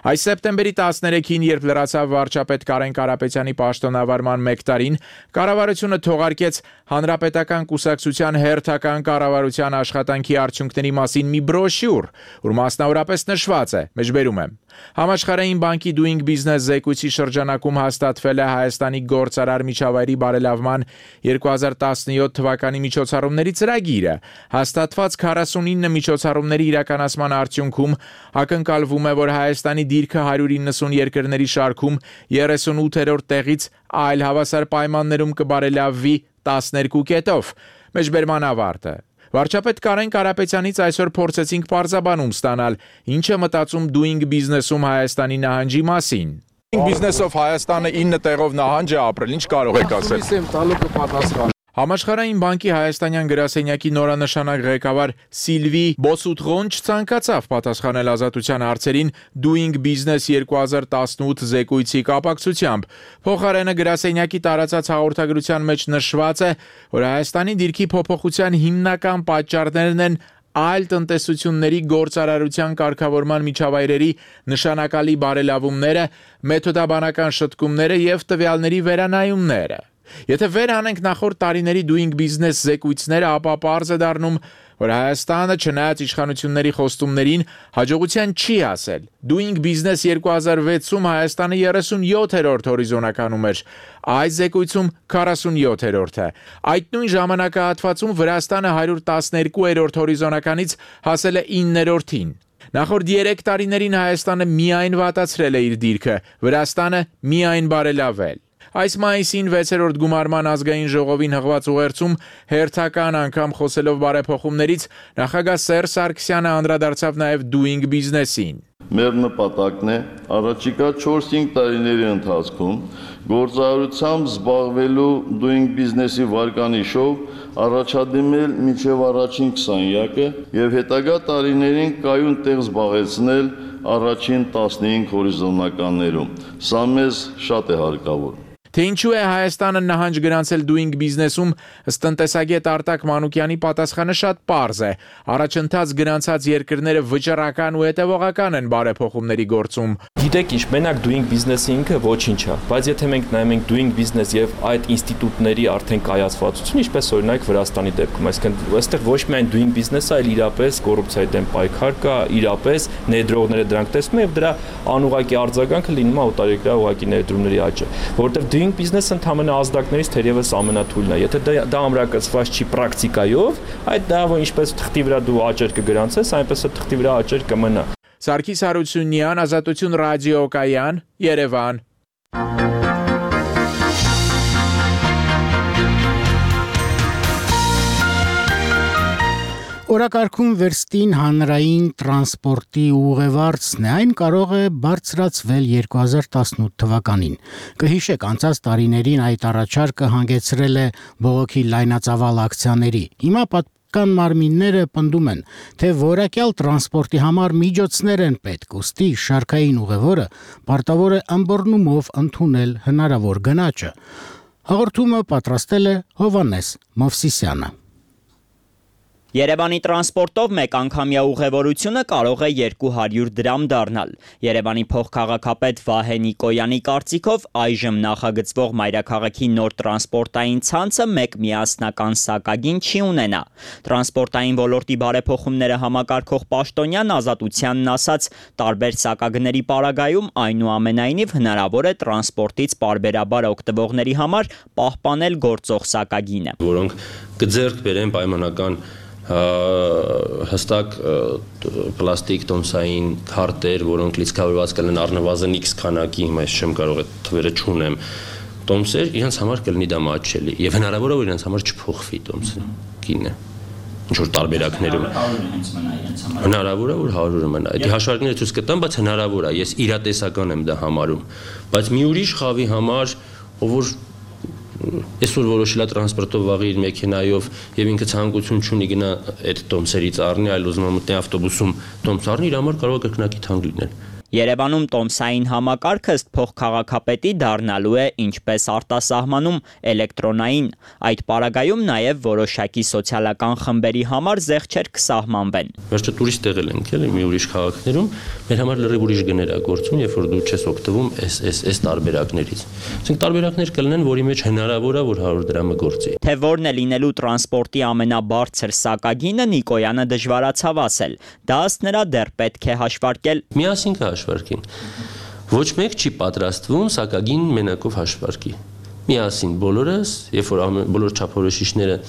Այս սեպտեմբերի տասներեքին, երբ լրացավ վարչապետ Կարեն Կարապետյանի պաշտոնավարման մեկ տարին, կառավարությունը թողարկեց Հանրապետական կուսակցության հերթական կառավարության աշխատանքի արդյունքների մասին մի բրոշյուր, որ մասնավորապես նշված է, մեջբերում եմ. Համաշխարհային բանկի Doing Business զեկույցի շրջանակում հաստատվել է Հայաստանի գործարար միջավայրի բարելավման երկու հազար տասնյոթ թվականի միջոցառումների ծրագիրը։ Հաստատված քառասունինը միջոցառումների իրականացման արդյունքում ակնկալվում է, որ Հայաստանի դիրքը հարյուր իննսուն երկրների շարքում երեսունութերորդ տեղից այլ հավասար պայմաններում կբարելավվի տասներկու կետով։ Մեջբերման ավարտը։ Վարչապետ Կարեն Կարապետյանից այսօր փորձեցինք պարզաբանում ստանալ, ինչ է մտածում Doing Business-ում Հայաստանի նահանջի մասին։ Doing Business-ով Հայաստանը ինը տեղով նահանջ է ապրել, ինչ կարող եք ասել։ Համաշխարհային բանկի հայաստանյան գրասենյակի նորանշանակ ղեկավար Սիլվի Բոսուտղոն չցանկացավ պատասխանել Ազատության հարցերին Doing Business երկու հազար տասնութ զեկույցի կապակցությամբ։ Փոխարենը գրասենյակի տարածած հաղորդագրության մեջ նշված է, որ Հայաստանի դիրքի փոփոխության հիմնական պատճառներն են այլ տնտեսությունների գործարարության կարգավորման միջավայրերի նշանակալի բարելավումները, մեթոդաբանական շտկումները եւ տվյալների վերանայումները։ Եթե վեր անենք նախորդ տարիների Doing Business զեկույցները, ապա պարզ է դառնում, որ Հայաստանը չնայած իշխանությունների խոստումներին հաջողության չի հասել։ Doing Business երկու հազար վեցում Հայաստանը երեսունյոթերորդ հորիզոնականում էր, այս զեկույցում քառասունյոթերորդը։ Այդ նույն ժամանակահատվածում Վրաստանը հարյուր տասներկուերորդ հորիզոնականից հասել է իններորդին։ Նախորդ երեք տարիներին Հայաստանը միայն վատացրել է իր դիրքը, Վրաստանը միայն բարելավել։ Այս մայիսին վեցերորդ գումարման ազգային ժողովին հղված ուղերձում հերթական անգամ խոսելով բարեփոխումներից նախագահ Սերժ Սարգսյանը անդրադարձավ նաև Doing Business-ին։ Մեր նպատակն է առաջիկա չորս-հինգ տարիների ընթացքում գործարարությամբ զբաղվելու doing business-ի վարկանիշով առաջադիմել մինչև առաջին քսանյակը եւ հետագա տարիներին կայուն տեղ զբաղեցնել առաջին տասնհինգ հորիզոնականներում։ Սա մեզ շատ է հարկավոր։ Թե ինչու է Հայաստանը նահանջ գրանցել doing business-ում, ըստ տնտեսագետ Արտակ Մանուկյանի պատասխանը շատ պարզ է։ Առաջընթաց գրանցած երկրները վճռական ու հետևողական են բարեփոխումների գործում։ Գիտեք ինչ, մենակ doing business-ը ինքը ոչինչ է, բայց եթե մենք նայում ենք doing business եւ այդ ինստիտուտների արդեն կայացվածություն, ինչպես օրինակ Վրաստանի դեպքում, այսինքն այստեղ ոչ միայն doing business-ը, այլ իրապես կոռուպցիայի դեմ պայքար կա, իրապես ներդրողները դրանք տեսնում են եւ դրա անուղղակի արձագանքը լինում է օտարերկրյա ուղղակի ներդրումների աճը, որովհետեւ doing business-ը ընդհանրապես ազդակներից թերևս ամենաթույլն է։ Եթե դա ամրակցված չի պրակտիկայով, այդ դա որ ինչպես թղթի վրա դու աճեր կգրանցես, այնպես է թղթի վրա աճեր կմնա։ Սարգիս Հարությունյան, Ազատություն ռադիոկայան, Երևան։ Օրակարգում վերստին հանրային տրանսպորտի ուղևորցն է, այն կարող է բարձրացվել երկու հազար տասնութ թվականին։ Կհիշեք, անցած տարիներին այդ առաջարկը հանգեցրել է բողոքի լայնածավալ ակցիաների։ Հիմա պատկան մարմինները պնդում են, թե որակյալ տրանսպորտի համար միջոցներ են պետք, ուստի շարքային ուղևորը պարտավոր է ըմբռնումով ընդունել հնարավոր գնաճը։ Հաղորդումը պատրաստել է Հովհաննես Մովսիսյանը։ Երևանի տրանսպորտով մեկ անգամյա ուղևորությունը կարող է երկու հարյուր դրամ դառնալ։ Երևանի փոխքաղաքապետ Վահե Նիկոյանի կարծիքով այժմ նախագծվող մայրաքաղաքի նոր տրանսպորտային ցանցը մեկ միասնական սակագին չի ունենա։ Տրանսպորտային ոլորտի բարեփոխումները համակարգող պաշտոնյան Ազատությանն ասաց, տարբեր սակագների պարագայում այնուամենայնիվ հնարավոր է տրանսպորտից պարբերաբար օգտվողների համար պահպանել գործող սակագինը, որոնք կձեռք բերեն պայմանական հստակ պլաստիկ տոմսային քարտեր, որոնք լիցքավորված կլինեն առնվազն X քանակի, հիմա ես չեմ կարող այդ թվերը չունեմ, տոմսեր, իրենց համար կլինի դա մատչելի եւ հնարավոր է որ իրենց համար չփոխվի տոմսը գինը ինչ որ տարբերակներում հնարավոր է որ հարյուրը մնա։ Այդ հաշվարկները ցույց կտան, բայց հնարավոր է, ես իրատեսական եմ դա համարում, բայց մի ուրիշ խավի համար, ով որ այսօր որոշել է տրանսպորտով վաղի իր մեքենայով եւ ինքը ցանկություն չունի գնա այդ տոմսերից առնի, այլ ուզում է մտնի ավտոբուսում տոմս առնի, իր համար կարող է կրկնակի թանկ լինել։ Երևանում տոմսային համակարգը ըստ փոխքաղաքապետի դառնալու է ինչպես արտասահմանում էլեկտրոնային։ Այդ պարագայում նաև որոշակի սոցիալական խմբերի համար զեղչեր կսահմանվեն։ Վերջը տուրիստ տեղել ենք, էլի մի ուրիշ քաղաքներում, մեր համար լրիվ ուրիշ գներ է գործում, երբ որ դու չես օգտվում այս այս այս տարբերակներից։ Այսինքն տարբերակներ կլինեն, որի մեջ հնարավոր է որ հարյուր դրամը գործի։ Թե որն է լինելու տրանսպորտի ամենաբարձր սակագինը Նիկոյանը դժվարացավ ասել։ Դա ըստ նրա դեռ պետք է հաշվարկել։ Միասին հաշվարկին։ Ոչ մեկ չի պատրաստվում սակագին մենակով հաշվարկի։ Միասին բոլորս, երբ որ բոլոր չափորոշիչները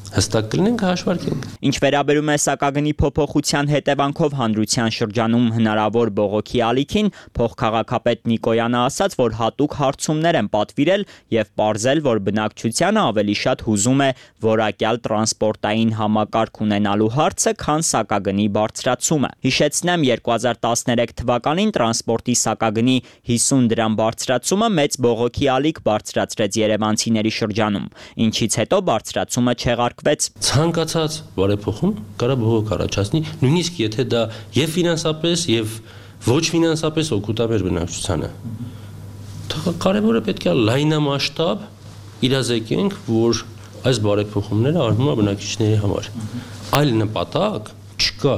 հստակ կլինեն կհաշվարկենք։ Ինչ վերաբերում է սակագնի փոփոխության հետևանքով հանրության շրջանում հնարավոր բողոքի ալիքին, փոխքաղաքապետ Նիկոյանը ասաց, որ հատուկ հարցումներ են պատվիրել եւ պարզել, որ բնակչությանը ավելի շատ հուզում է որակյալ տրանսպորտային համակարգ ունենալու հարցը, քան սակագնի բարձրացումը։ Հիշեցնեմ, երկու հազար տասներեք թվականին տրանսպորտի սակագնի հիսուն դրամ բարձրացումը մեծ բողոքի ալիք բարձրացրեց երևանցիների շրջանում, ինչից հետո բարձրացումը չեղարկվեց։ Ցանկացած բարեփոխում կարա բողոք առաջացնի, նույնիսկ եթե դա եւ ֆինանսապես եւ ոչ ֆինանսապես օգուտ է մեր բնակչությանը։ Կարևորը պետք է լայնամասշտաբ իրազեկենք, որ այս բարեփոխումները արվում է բնակիչների համար։ Այլ նպատակ չկա։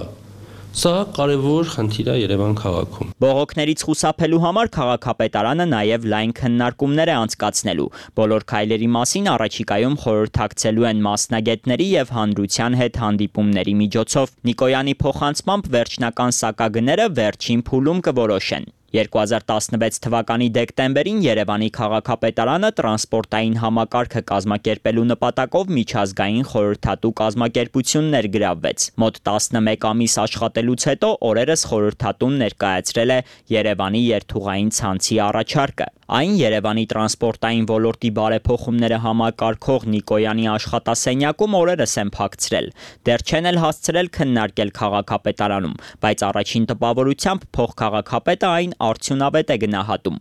Սա կարևոր խնդիր է Երևան քաղաքում։ Բողոքներից խուսափելու համար քաղաքապետարանը նաև լայն քննարկումներ է անցկացնելու։ Բոլոր քայլերի մասին առաջիկայում խորհրդակցելու են մասնագետների եւ հանրության հետ հանդիպումների միջոցով։ Նիկոյանի փոխանցմամբ վերջնական սակագները վերջին փուլում կորոշեն։ երկու հազար տասնվեց թվականի դեկտեմբերին Երևանի քաղաքապետարանը տրանսպորտային համակարգը կազմակերպելու նպատակով միջազգային խորհրդատու կազմակերպություն ներգրավվեց։ Մոտ տասնմեկ ամիս աշխատելուց հետո օրերս խորհրդատուն ներկայացրել է Երևանի երթուղային ցանցի առաջարկը։ Այն Երևանի տրանսպորտային ոլորտի բարեփոխումները համակարգող Նիկոյանի աշխատասենյակում օրերս են փակցրել։ Դեռ չեն էլ հասցրել քննարկել քաղաքապետարանում, բայց առաջին տպավորությամբ փոխքաղաքապետը այն արդյունավետ է գնահատում։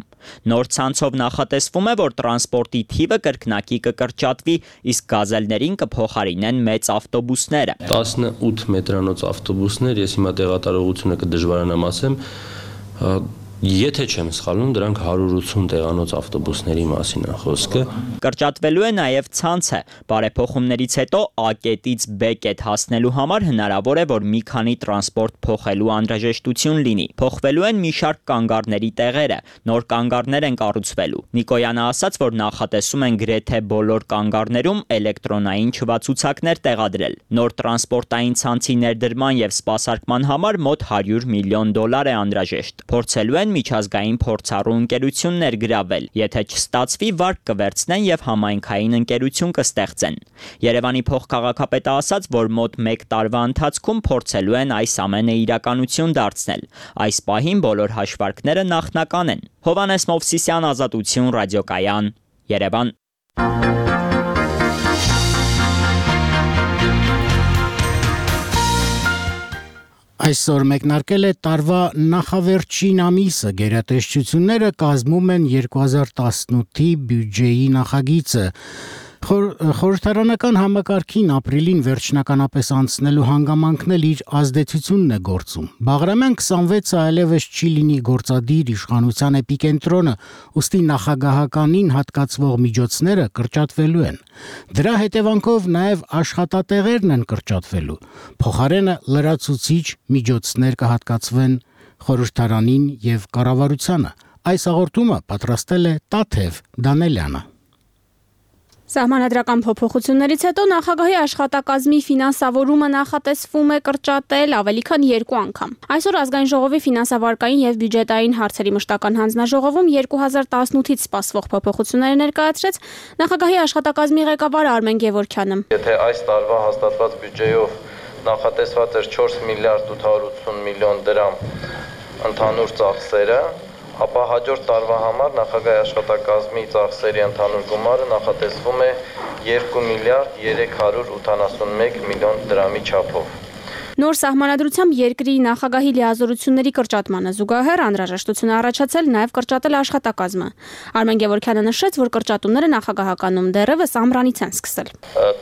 Նոր ցանցով նախատեսվում է, որ տրանսպորտի թիվը կրկնակի կկրճատվի, իսկ գազելներին կփոխարինեն մեծ ավտոբուսները։ տասնութ մետրանոց ավտոբուսներ, ես հիմա տեղատարողությունը կդժվարանամ ասեմ, եթե չեմ սխալվում, դրանք հարյուր ութսուն տեղանոց ավտոբուսների մասին է խոսքը։ Կրճատվելու է նաև ցանցը։ Բարեփոխումներից հետո A կետից B կետ հասնելու համար հնարավոր է, որ մի քանի տրանսպորտ փոխելու անհրաժեշտություն լինի։ Փոխվելու են մի շարք կանգառների տեղերը, նոր կանգառներ են կառուցվելու։ Նիկոյանը ասաց, որ նախատեսում են գրեթե բոլոր կանգառներում էլեկտրոնային չվացուցակներ տեղադրել։ Նոր տրանսպորտային ցանցի ներդրման եւ սպասարկման համար մոտ հարյուր միլիոն դոլար է անհրաժեշտ։ Փորձելու են միջազգային փորձառու ընկերություններ գրավել, եթե չստացվի, վարկ կվերցնեն եւ համայնքային ընկերություն կստեղծեն։ Երևանի փոխքաղաքապետը ասաց, որ մոտ մեկ տարվա ընթացքում փորձելու են այս ամենը իրականություն դարձնել։ Այս պահին բոլոր հաշվարկները նախնական են։ Հովհաննես Մովսիսյան, Ազատություն, ռադիոկայան, Երևան։ Այսօր մեկնարկել է տարվա նախավերջին ամիսը, գերատեսչությունները կազմում են երկու հազար տասնութի բյուջեի նախագիծը։ Խորհրդարանական համակարգին ապրիլին վերջնականապես անցնելու հանգամանքն էլ իր ազդեցությունն է գործում։ Բաղրամյան քսանվեցը այլևս չի լինի գործադիր իշխանության էպիկենտրոնը, ուստի նախագահականին հատկացվող միջոցները կրճատվելու են։ Դրա հետևանքով նաև աշխատատեղերն են կրճատվելու։ Փոխարենը լրացուցիչ միջոցներ կհատկացվեն խորհրդարանին եւ կառավարությանը։ Այս հաղորդումը պատրաստել է Տաթև Դանելյանը։ Սահմանադրական փոփոխություններից հետո նախագահի աշխատակազմի ֆինանսավորումը նախատեսվում է կրճատել ավելի քան երկու անգամ։ Այսօր ազգային ժողովի ֆինանսավարկային եւ բյուջետային հարցերի մշտական հանձնաժողովում երկու հազար տասնութից սպասվող փոփոխությունները ներկայացրեց նախագահի աշխատակազմի ղեկավար Արմեն Գևորգյանը։ Եթե այս տարվա հաստատված բյուջեով նախատեսված էր չորս միլիարդ ութ հարյուր ութսուն միլիոն դրամ ընդհանուր ծախսերը, ապա հաջորդ տարվա համար նախագահի աշխատակազմի ծախսերի ընդհանուր գումարը նախատեսվում է երկու միլիարդ երեք հարյուր ութանասունմեկ միլիոն դրամի չափով։ Նոր սահմանադրությամբ երկրի նախագահի լիազորությունների կրճատմանը զուգահեռ անհրաժեշտություն է առաջացել նաև կրճատել աշխատակազմը։ Արմեն Գևորգյանը նշեց, որ կրճատումները նախագահականում դեռևս ամռանից են սկսել։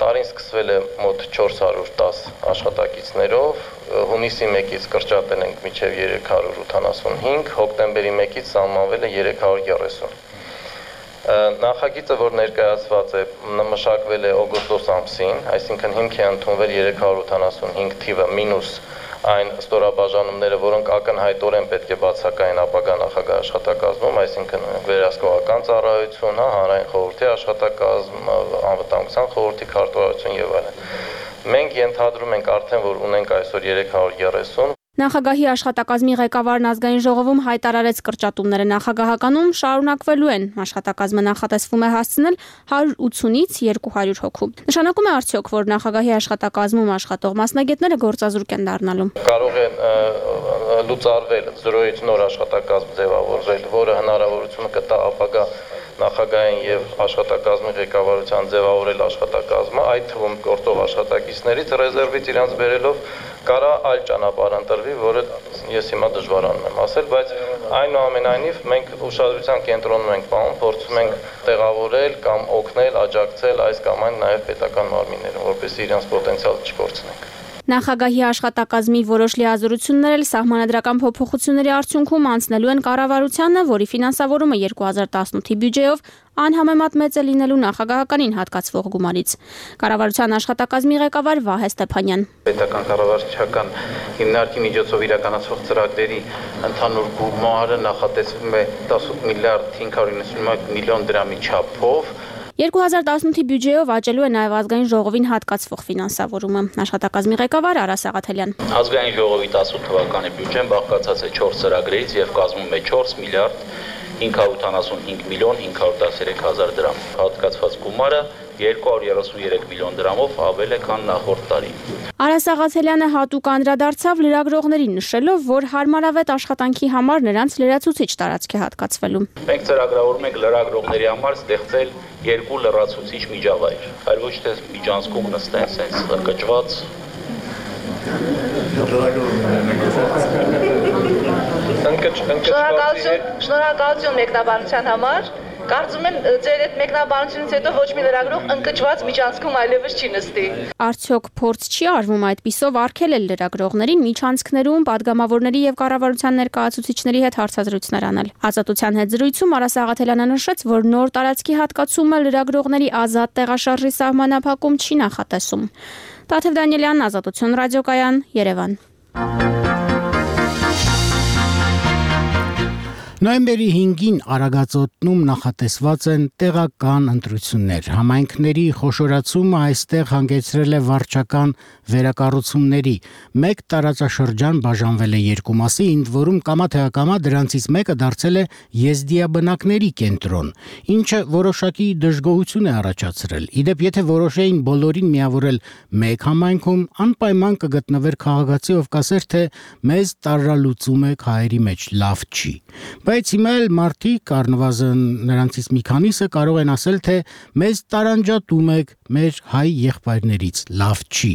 Տարին սկսվել է մոտ չորս հարյուր տասը աշխատակիցներով, հունիսի մեկից կրճատել ենք մինչև երեք հարյուր ութանասունհինգ, հոկտեմբերի մեկից սահմանվել է երեք հարյուր երեսուն։ Նախագիծը, որ ներկայացված է, մշակվել է օգոստոս ամսին, այսինքն հիմք է ընդունվել երեք հարյուր ութանասունհինգ թիվը մինուս այն ստորաբաժանումները, որոնք ակնհայտորեն պետք է բացակայեն ապագա նախագահ աշխատակազմում, այսինքն վերահսկողական ծառայություն, հանրային խորհրդի աշխատակազմ, անվտանգության խորհրդի քարտուղարություն եւ այլն։ Մենք ենթադրում ենք արդեն, որ ունենք այսօր երեք հարյուր երեսուն։ Նախագահի աշխատակազմի ղեկավարն ազգային ժողովում հայտարարեց կրճատումները նախագահականում շարունակվելու են։ Աշխատակազմը նախատեսվում է հասցնել հարյուր ութսունից երկու հարյուր հոգու։ Նշանակում է արդյոք, որ նախագահի աշխատակազմում աշխատող մասնագետները գործազուրկ են դառնալու։ Կարող է լուծարվել զրոյից նոր աշխատակազմ ձևավորել, որը հնարավորություն կտա ապագա նախագահային եւ աշխատակազմի ղեկավարության ձևավորել աշխատակազմը, այդ թվում գործող աշխատակիցներից ռեզերվից իրանց բերելով կարա այլ ճանապարհ ընտրվի, որը ես հիմա դժվարանում եմ ասել, բայց այնուամենայնիվ մենք ուշադրության կենտրոնում ենք պահում, փորձում ենք տեղավորել կամ օգնել, աջակցել այս կամ այն նաև պետական մարմիններին, որպեսզի իրենց պոտենցիալը չկորցնենք։ Նախագահի աշխատակազմի որոշ լիազորություններ էլ սահմանադրական փոփոխությունների արդյունքում անցնելու են կառավարությանը, որի ֆինանսավորումը երկու հազար տասնութի բյուջեով անհամեմատ մեծ է լինելու նախագահականին հատկացվող գումարից։ Կառավարության աշխատակազմի ղեկավար Վահե Ստեփանյան։ Պետական կառավարչական հիմնարկի միջոցով իրականացվող ծրագրերի ընդհանուր գումարը նախատեսվում է տասնութ միլիարդ հինգ հարյուր իննսունմեկ միլիոն դրամի չափով։ երկու հազար տասնութի բյուջեով աճելու է նաև ազգային ժողովին հատկացվող ֆինանսավորումը։ Աշխատակազմի ղեկավար Արա Սաղաթելյան։ Ազգային ժողովի տասնութ թվականի բյուջեն բաղկացած է չորս ծրագրերից եւ կազմում է չորս միլիարդ հինգ հարյուր ութանասունհինգ միլիոն հինգ հարյուր տասներեք հազար դրամ։ Հատկացված գումարը երկու հարյուր երեսուներեք միլիոն դրամով ավել է, քան նախորդ տարի։ Արա Սաղաթելյանը հատուկ անդրադարձավ լրագրողներին, նշելով, որ հարմարավետ աշխատանքի համար նրանց լրացուցիչ տարածք է հատկացվելու։ Մենք ծրագրավորում ենք լրագրողների համար ստեղծել երկու լրացուցիչ միջավայր, այլ ոչ թե միջանցքում նստեն sense կճված։ Շնորհակալություն մեկնաբանության համար։ Կարծում եմ ձեր այդ մեկնաբանությունից հետո ոչ մի լրագրող ընկճված միջանցքում այլևս չի նստի։ Արդյոք փորձ չի արվում այդպիսով արգելել լրագրողներին միջանցքներում падգամավորների եւ կառավարության ներկայացուցիչների հետ հարցազրույցներ անել։ Ազատության հետ զրույցում Արա Սաղաթելյանը նշեց, որ նոր տարածքի հատկացումը լրագրողների ազատ տեղաշարժի սահմանափակում չի նախատեսում։ Տաթև Դանիելյան, Ազատություն ռադիոկայան, Երևան։ Նոյեմբերի հինգին Արագածոտնում նախատեսված են տեղական ընտրություններ։ Համայնքների խոշորացումը այստեղ հանգեցրել է վարչական վերակառուցումների։ Մեկ տարածաշրջան բաժանվել է երկու մասի, ընդ որում կամա թե ակամա դրանցից մեկը դարձել է եզդիաբնակների կենտրոն, ինչը որոշակի դժգոհություն է առաջացրել։ Իդեպ, եթե որոշեին բոլորին միավորել մեկ համայնքում, անպայման կգտնվեր քաղաքացի, ով կասեր, թե մեզ տարրալուծում եք հայերի մեջ, լավ չի։ Բայց հիմա էլ մարդիկ, առնվազն նրանցից մի քանիսը կարող են ասել, թե մեզ տարանջատում եք մեր հայ եղբայրներից, լավ չի։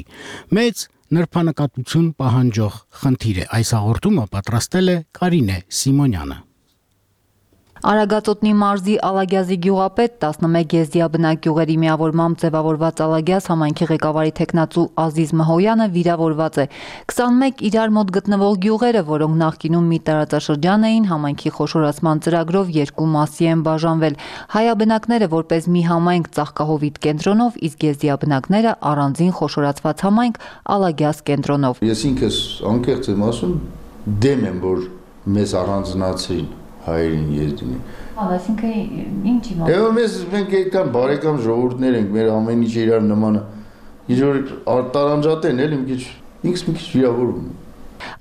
Մեծ նրբանկատություն պահանջող խնդիր է։ Այս հաղորդումը պատրաստել է Կարինե Սիմոնյանը։ Արագածոտնի մարզի Ալագյազի գյուղապետ տասնմեկ եզդիաբնակ գյուղերի միավորմամբ ձևավորված Ալագյազ համայնքի ղեկավարի թեկնածու Ազիզ Մհոյանը վիրավորված է։ քսանմեկ իրար մոտ գտնվող գյուղերը, որոնք նախկինում մի տարածաշրջան էին, համայնքի խոշորացման ծրագրով երկու մասի են բաժանվել։ Հայաբնակները որպես մի համայնք ծաղկահովիտ կենտրոնով, իսկ եզդիաբնակները առանձին խոշորացված համայնք Ալագյազ կենտրոնով։ Ես ինքս անկեղծ եմ ասում, դեմ եմ, որ մեզ առանձնացրին հայերին եզդին։ Այսինքն ինչի՞ մոտ։ Եվ մեզ մենք այդքան բարեկամ ժողովուրդներ ենք, մեր ամեն ինչ իրար նմանը։ Ինչ-որ տարանջատեն էլ մի քիչ, ինքս մի քիչ վիրավորում եմ։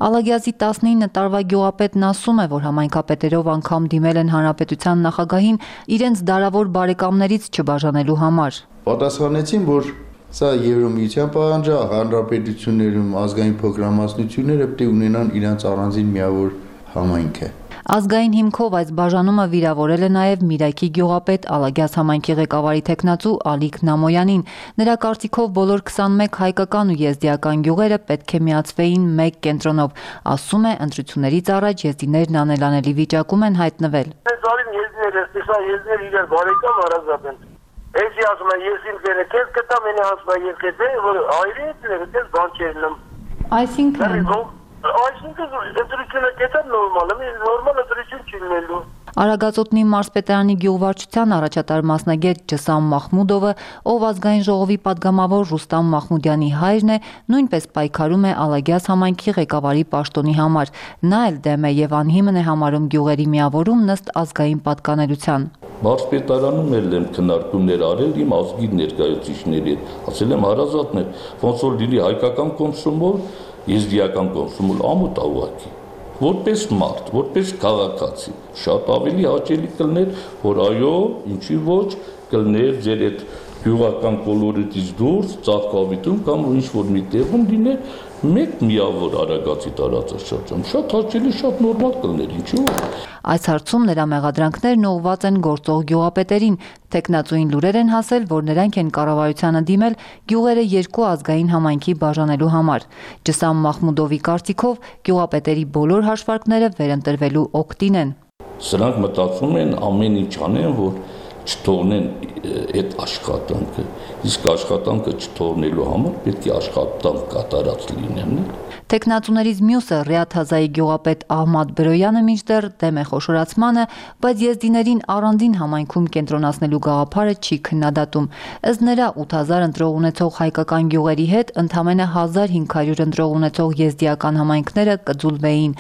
Ալագյազի տասնինը տարվա գյուղապետն ասում է, որ համայնքապետերով անգամ դիմել են հանրապետության նախագահին իրենց դարավոր բարեկամներից չբաժանելու համար։ Պատասխանեցին, որ սա Եվրոմիության պահանջ է, հանրապետություններում ազգային փոքրամասնությունները պետք է ունենան իրենց առանձին միավոր համայնքը։ Ազգային հիմքով այս բաժանումը վիրավորել է նաև Միրայքի գյուղապետ Ալագյազ համայնքի ղեկավարի թեկնածու Ալիկ Նամոյանին։ Նրա կարծիքով բոլոր քսանմեկ հայկական ու եզդիական գյուղերը պետք է միացվեին մեկ կենտրոնով։ Ասում է, ընտրություններից առաջ եզդիներն անելանելի վիճակում են հայտնվել։ Զարին եզդիները, տեսա եզդիներ իրար բարեկամ հարազատ են։ Էսի ասում են, ես իմ կերը քեզ կտամ, ինի ասում են, ես կետե, որ այրի է դες բան չերնեմ։ Այսինքն Այսինքն ընտրությունը կետա նորմալ է, նորմալ ընտրություն չի լինելու։ Արագածոտնի մարզպետարանի գյուղվարչության առաջատար մասնագետ Ջսամ Մախմուդովը, ով ազգային ժողովի падգամավոր Ռուստամ Մախմուդյանի հայրն է, նույնպես պայքարում է Ալագյազ համայնքի ղեկավարի պաշտոնի համար։ Նա էլ դեմ է եւ անհիմն է համարում գյուղերի միավորում նստ ազգային պատկանելության։ Մարզպետարանում էլ եմ քննարկումներ արել իմ ազգի ներկայացուցիչների հետ, ասել եմ հարազատներ, ոնց որ լինի հայկական կոնսումով, եզդիական կոնսումով ամոթ ավակի։ Որպես մարդ, որպես քաղաքացի, շատ ավելի հաճելի կլներ, որ այո, ինչի ոչ, կլներ ձեր այդ գյուղական կոլորիտից դուրս, ծաղկավիտում կամ ինչ որ մի տեղում լիներ մեկ միավոր Արագածի տարածաշրջան։ Շատ հաճելի, շատ նորմալ կլներ, ինչի ոչ։ Այս հարցում նրա մեղադրանքներն ուղղված են գործող գյուղապետերին։ Տեխնացուին լուրեր են հասել, որ նրանք են կառավարությանը դիմել գյուղերը երկու ազգային համայնքի բաժանելու համար։ Ջսամ Մախմուդովի կարծիքով գյուղապետերի բոլոր հաշվարկները վերընտրվելու օգտին են։ Սրանք մտածում են ամեն ինչ անեն, որ չթողնեն այդ աշխատանքը, իսկ աշխատանքը չթողնելու համար պետք է աշխատանք կատարած լինեն։ Տեխնացուներից մյուսը Ռիաթ Հազայի գյուղապետ Ահմադ Բրոյանը մինչդեռ դեմ է խոշորացմանը, բայց եզդիներին առանձին համայնքում կենտրոնացնելու գաղափարը չի քննադատում։ Ըստ նրա ութ հազար ընտրող ունեցող հայկական գյուղերի հետ ընդամենը հազար հինգ հարյուր ընտրող ունեցող եզդիական համայնքները կձուլվեին։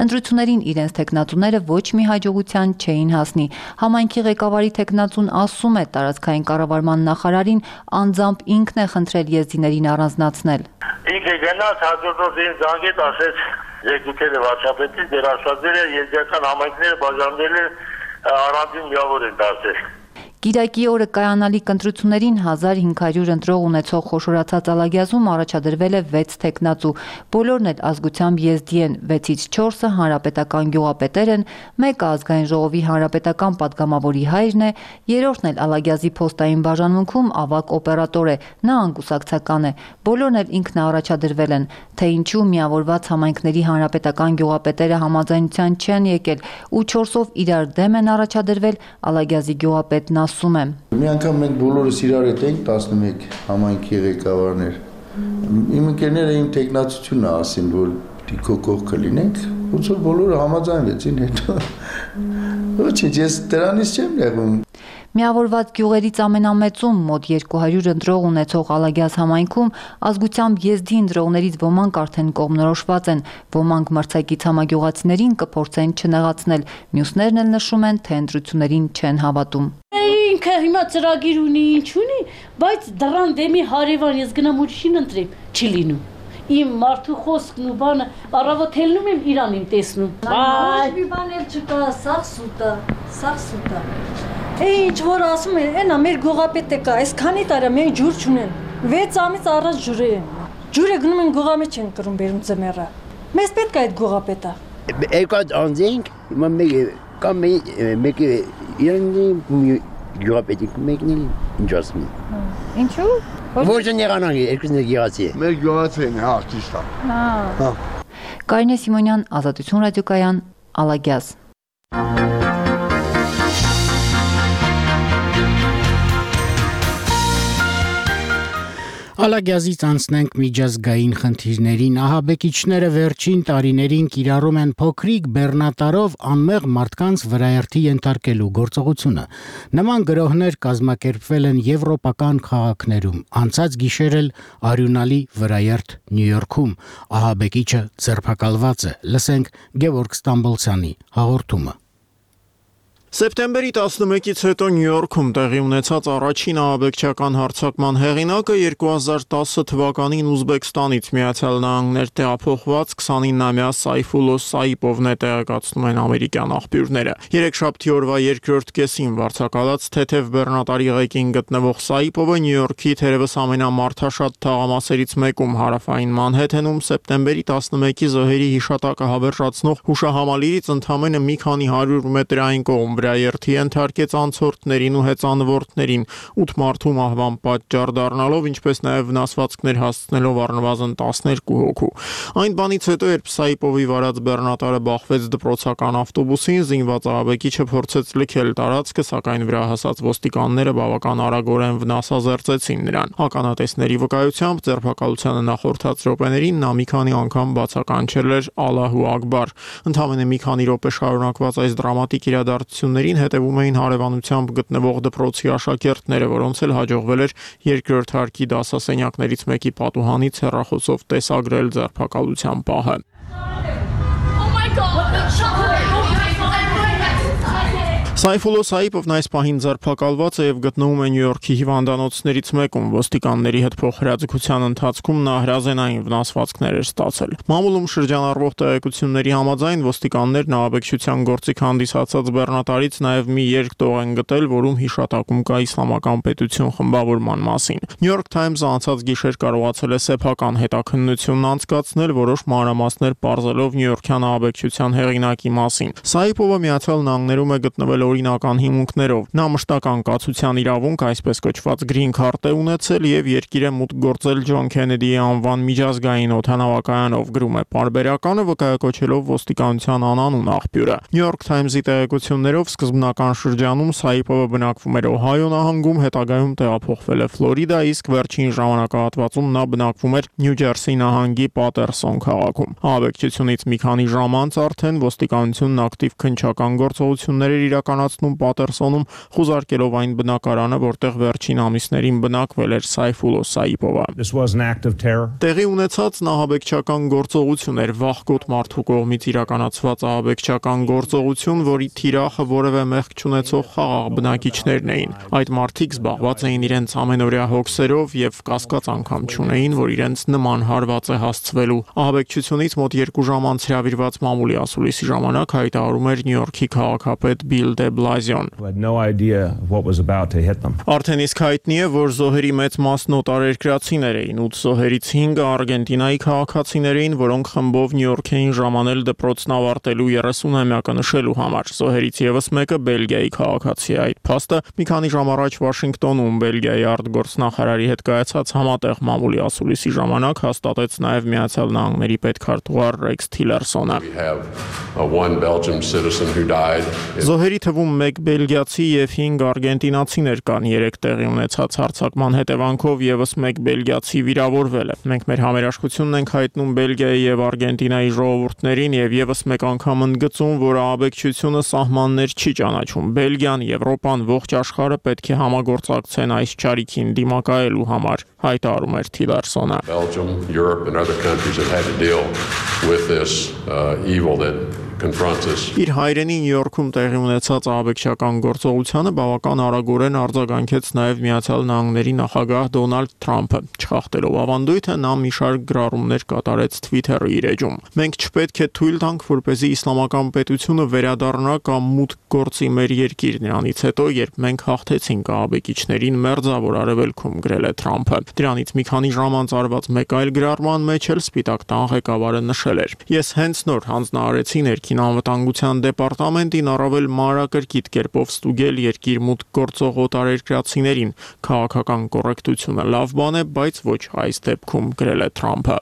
Ընտրություններին իրենց տեխնացուները ոչ մի հաջողության չէին հասնի։ Համայնքի ղեկավարի տեխնացուն ասում է, տարածքային կառավարման նախարարին անձամբ ինքն է խնդրել եզդիներին առանձնացնել։ Ինքը գնաց հաջորդող դին զանգեց, ասեց երկուքերը վարչապետից, դեր աշխատել է եզդիական համայնքները բաժանվել է առանձին միավոր են դարձել։ Կիրակի օրը կայանալիք ընտրություններին հազար հինգ հարյուր ընտրող ունեցող խոշորացած Ալագյազում առաջադրվել է վեց թեկնածու։ Բոլորն էլ ազգությամբ եզդի են, վեցից չորսը հանրապետական գյուղապետեր են, մեկը ազգային ժողովի հանրապետական падգամավորի հայրն է, երրորդն էլ Ալագյազի փոստային բաժանմունքում ավագ օպերատոր է, նա անկուսակցական է։ Բոլորն էլ ինքնաառաջադրվել են, թե ինչու միավորված համայնքների հանրապետական գյուղապետերը համաձայնության չեն եկել ու չորսով իրար դեմ են առաջադրվել, Ալագյազի գյուղապետն ասում եմ։ Մի անգամ մենք բոլորս իրար հետ ենք տասնմեկ համայնքի ղեկավարներ։ Իմ ընկերները իմ տեխնացությունը ասին, որ դիքո կողքը լինենք, ոնց որ բոլորը համաձայնվեցին հետո։ Ոչինչ, ես դրանից չեմ նեղում։ Միավորված գյուղերից ամենամեծում մոտ երկու հարյուր ընտրող ունեցող Ալագյազ համայնքում ազգությամբ եզդի ընտրողներից ոմանք արդեն կողմնորոշված են, ոմանք մրցակից համագյուղացիներին կփորձեն չնեղացնել, մյուսներն էլ նշում են, թե ընտրություններին չեն հավատում։ Ինքը հիմա ծրագիր ունի, ինչ ունի, բայց դրան դեմի հարևան ես գնամ ուրիշին ընտրեմ, չի լինում։ Իմ մարդու խոսքն ու բանը առավոտ ելնում եմ իրան իմ տեսնում։ Ոչ մի բան էլ չկա, սաղ սուտ է, սաղ սուտ է։ Ինչ որ ասում են, այնա մեր գյուղապետը կա, այսքանի տարի մենք ջուր չունեն։ վեց ամիս առաջ ջուրը է։ Ջուրը գնում են գյուղամի չեն կրում բերում ձմեռը։ Մեզ պետք է այդ գյուղապետը։ Եկա անձենք, հիմա մեկ կամ մեկ իրանի գյուղապետի մեկն էլ ինչ ասում է։ Ինչու։ Ոչ նեղանան, երկուսն էլ գեղացի է։ Մեր գյուղացին է, հա, ճիշտ է։ Հա։ Կարինե Սիմոնյան, Ազատություն ռադիոկայան, Ալագյազ։ Ալագյազից անցնենք միջազգային խնդիրներին։ Ահաբեկիչները վերջին տարիներին կիրառում են փոքրիկ բեռնատարով անմեղ մարդկանց վրայերթի ենթարկելու գործողությունը։ Նման գրոհներ կազմակերպվել են եվրոպական քաղաքներում։ Անցած գիշեր էլ արյունալի վրայերթ Նյու Յորքում ահաբեկիչը ձերբակալված է։ Լսենք Գևորգ Ստամբոլցյանի հաղորդումը։ Սեպտեմբերի տասնմեկից հետո Նյու Յորքում տեղի ունեցած առաջին ահաբեկչական հարձակման հեղինակը երկու հազար տասը թվականին Ուզբեկստանից Միացյալ Նահանգներ տեղափոխված քսանինամյա Սայֆուլո Սայիպովն է, տեղեկացնում են ամերիկյան աղբյուրները։ Երեքշաբթի օրվա երկրորդ կեսին վարձակալած թեթև բեռնատարի ղեկին գտնվող Սայիպովը Նյու Յորքի թերևս ամենամարդաշատ թաղամասերից մեկում հարավային Մանհեթենում սեպտեմբերի տասնմեկի զոհերի հիշատակը հավերժացնող հուշահամալիրից ընդամենը մի քանի հարյուր մետրային կողմ վրայերթի ենթարկեց անցորդներին ու հեծանվորդներին, ութ մարդու մահվան պատճառ դառնալով, ինչպես նաև վնասվածքներ հասցնելով առնվազն տասներկու հոգու։ Այն բանից հետո, երբ Սայիպովի վարած բեռնատարը բախվեց դպրոցական ավտոբուսին, զինված ահաբեկիչը փորձեց լքել տարածքը, սակայն վրա հասած ոստիկանները բավական արագորեն վնասազերծեցին նրան։ Ականատեսների վկայությամբ ձերբակալությանը նախորդած րոպեներին նա մի քանի անգամ բացականչել էր Ալլահու Ակբար։ Ընդամենը մի քանի րոպե շարունակված այս դրամատիկ իրադարձություններին հետևում էին հարևանությամբ գտնվող դպրոցի աշակերտները, որոնց էլ հաջողվել էր երկրորդ հարկի դասասենյակներից մեկի պատուհանից հեռախոսով տեսագրել ձերբակալության պահը։ Սայֆուլո Սայիպովն այս պահին ձերբակալված է եւ գտնվում է Նյու Յորքի հիվանդանոցներից մեկում։ Ոստիկանների հետ փոխհրաձգության ընթացքում նա հրազենային վնասվածքներ էր ստացել։ Մամուլում շրջանառվող տեղեկությունների համաձայն ոստիկաններն ահաբեկչության գործիք հանդիսացած բեռնատարից նաեւ մի երգտող են գտել, որում հիշատակում կա իսլամական պետություն խմբավորման մասին։ New York Times-ը անցած գիշեր կարողացել է սեփական հետաքննությունն անցկացնել, որոշ մանրամասներ պարզելով նյույորքյան ահաբեկչության հեղինակի մասին։ Սայիպովը Միացյալ Նահանգներում է գտնվել օրինական հիմունքներով։ Նա մշտական կացության իրավունք, այսպես կոչված green card է ունեցել եւ երկիր է մուտք գործել Ջոն Քենեդիի անվան միջազգային օդանավակայանով, գրում է պարբերականը, վկայակոչելով ոստիկանության անանուն աղբյուրը։ New York Times-ի տեղեկություններով սկզբնական շրջանում Սայիպովը բնակվում էր Օհայո նահանգում, հետագայում տեղափոխվել է Ֆլորիդա, իսկ վերջին ժամանակահատվածում նա բնակվում էր Նյու Ջերսի նահանգի Պատերսոն քաղաքում։ Ահաբեկչությունից մի քանի ժամ անց արդեն ոստիկանությունն ակտիվ քննչական գործողություններ էր իրականացնում Պատերսոնում, խուզարկելով այն բնակարանը, որտեղ վերջին ամիսներին բնակվել էր Սայֆուլո Սայիպովը։ Տեղի ունեցած ահաբեկչական գործողություն էր, վախկոտ մարդու կողմից իրականացված ահաբեկչական գործողություն, որի թիրախը որևէ մեղք չունեցող խաղաղ բնակիչներն էին։ Այդ մարդիկ զբաղված էին իրենց ամենօրյա հոգսերով եւ կասկած անգամ չունեին, որ իրենց նման հարված է հասցվելու։ Ահաբեկչությունից մոտ երկու ժամ անց հրավիրված մամուլի ասուլիսի ժամանակ հայտարարում էր Նյու Յորքի քաղաքապետ Բիլ դե de Blasio-ն։ Արդեն իսկ հայտնի է, որ զոհերի մեծ մասն օտարերկրացիներ էին, ութ զոհերից հինգը Արգենտինայի քաղաքացիներ էին, որոնք խմբով Նյու Յորք էին ժամանել դպրոցն ավարտելու երեսունամյակը նշելու համար։ Զոհերից ևս մեկը Բելգիայի քաղաքացի է։ Այդ փաստը մի քանի ժամ առաջ Վաշինգտոնում Բելգիայի արտգործնախարարի հետ կայացած համատեղ մամուլի ասուլիսի ժամանակ հաստատեց նաև Միացյալ Նահանգների պետքարտուղար Ռեքս Թիլերսոնը։ Զոհերի թվում մեկ բելգիացի եւ հինգ արգենտինացիներ կան, երեք տեղի ունեցած հարձակման հետևանքով եւս մեկ բելգիացի վիրավորվել է։ Մենք մեր համերաշխությունն ենք հայտնում Բելգիայի եւ Արգենտինայի ժողովուրդներին եւ եւս մեկ անգամ ընդգծում, որ ահաբեկչությունը սահմաններ չի ճանաչում։ Բելգիան, Եվրոպան, ողջ աշխարհը պետք է համագործակցեն այս ճարիքին դիմակայելու համար, հայտարարում էր Թիլերսոնը։ Belgium, Europe and other countries have had to deal with this uh, evil that confronts us. Իր հայրենի Նյու Յորքում տեղի ունեցած ահաբեկչական գործողությանը բավական արագորեն արձագանքեց նաև Միացյալ Նահանգների նախագահ Դոնալդ Թրամփը, չխախտելով ավանդույթը նա մի շարք գրառումներ կատարեց Twitter-ի իր էջում։ Մենք չպետք է թույլ տանք, որպեսզի իսլամական պետությունը վերադառնա կամ մուտք գործի մեր երկիր, նրանից հետո, երբ մենք հաղթեցինք ահաբեկիչներին մերձավոր արևելքում, գրել է Թրամփը։ Դրանից մի քանի ժամ անց արված մեկ այլ գրառման մեջ էլ Սպիտակ տան ղեկավարը նշել էր. Ես հենց նոր հանձնարարեցի ներքին անվտանգության դեպարտամենտին առավել մանրակրկիտ կերպով ստուգել երկիր մուտք գործող օտարերկրացիներին։ Քաղաքական կոռեկտությունը լավ բան է, բայց ոչ այս դեպքում, գրել է Թրամփը։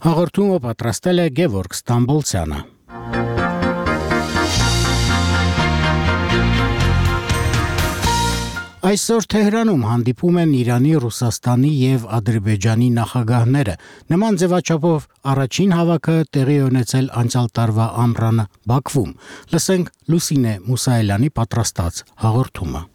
Հաղորդումը պատրաստել է Գևորգ Ստամբոլցյանը։ Այսօր Թեհրանում հանդիպում են Իրանի, Ռուսաստանի եւ Ադրբեջանի նախագահները։ Նման ձևաչափով առաջին հավաքը տեղի ունեցել անցյալ տարվա ամռանը Բաքվում։ Լսենք Լուսինե Մուսայելյանի պատրաստած հաղորդումը։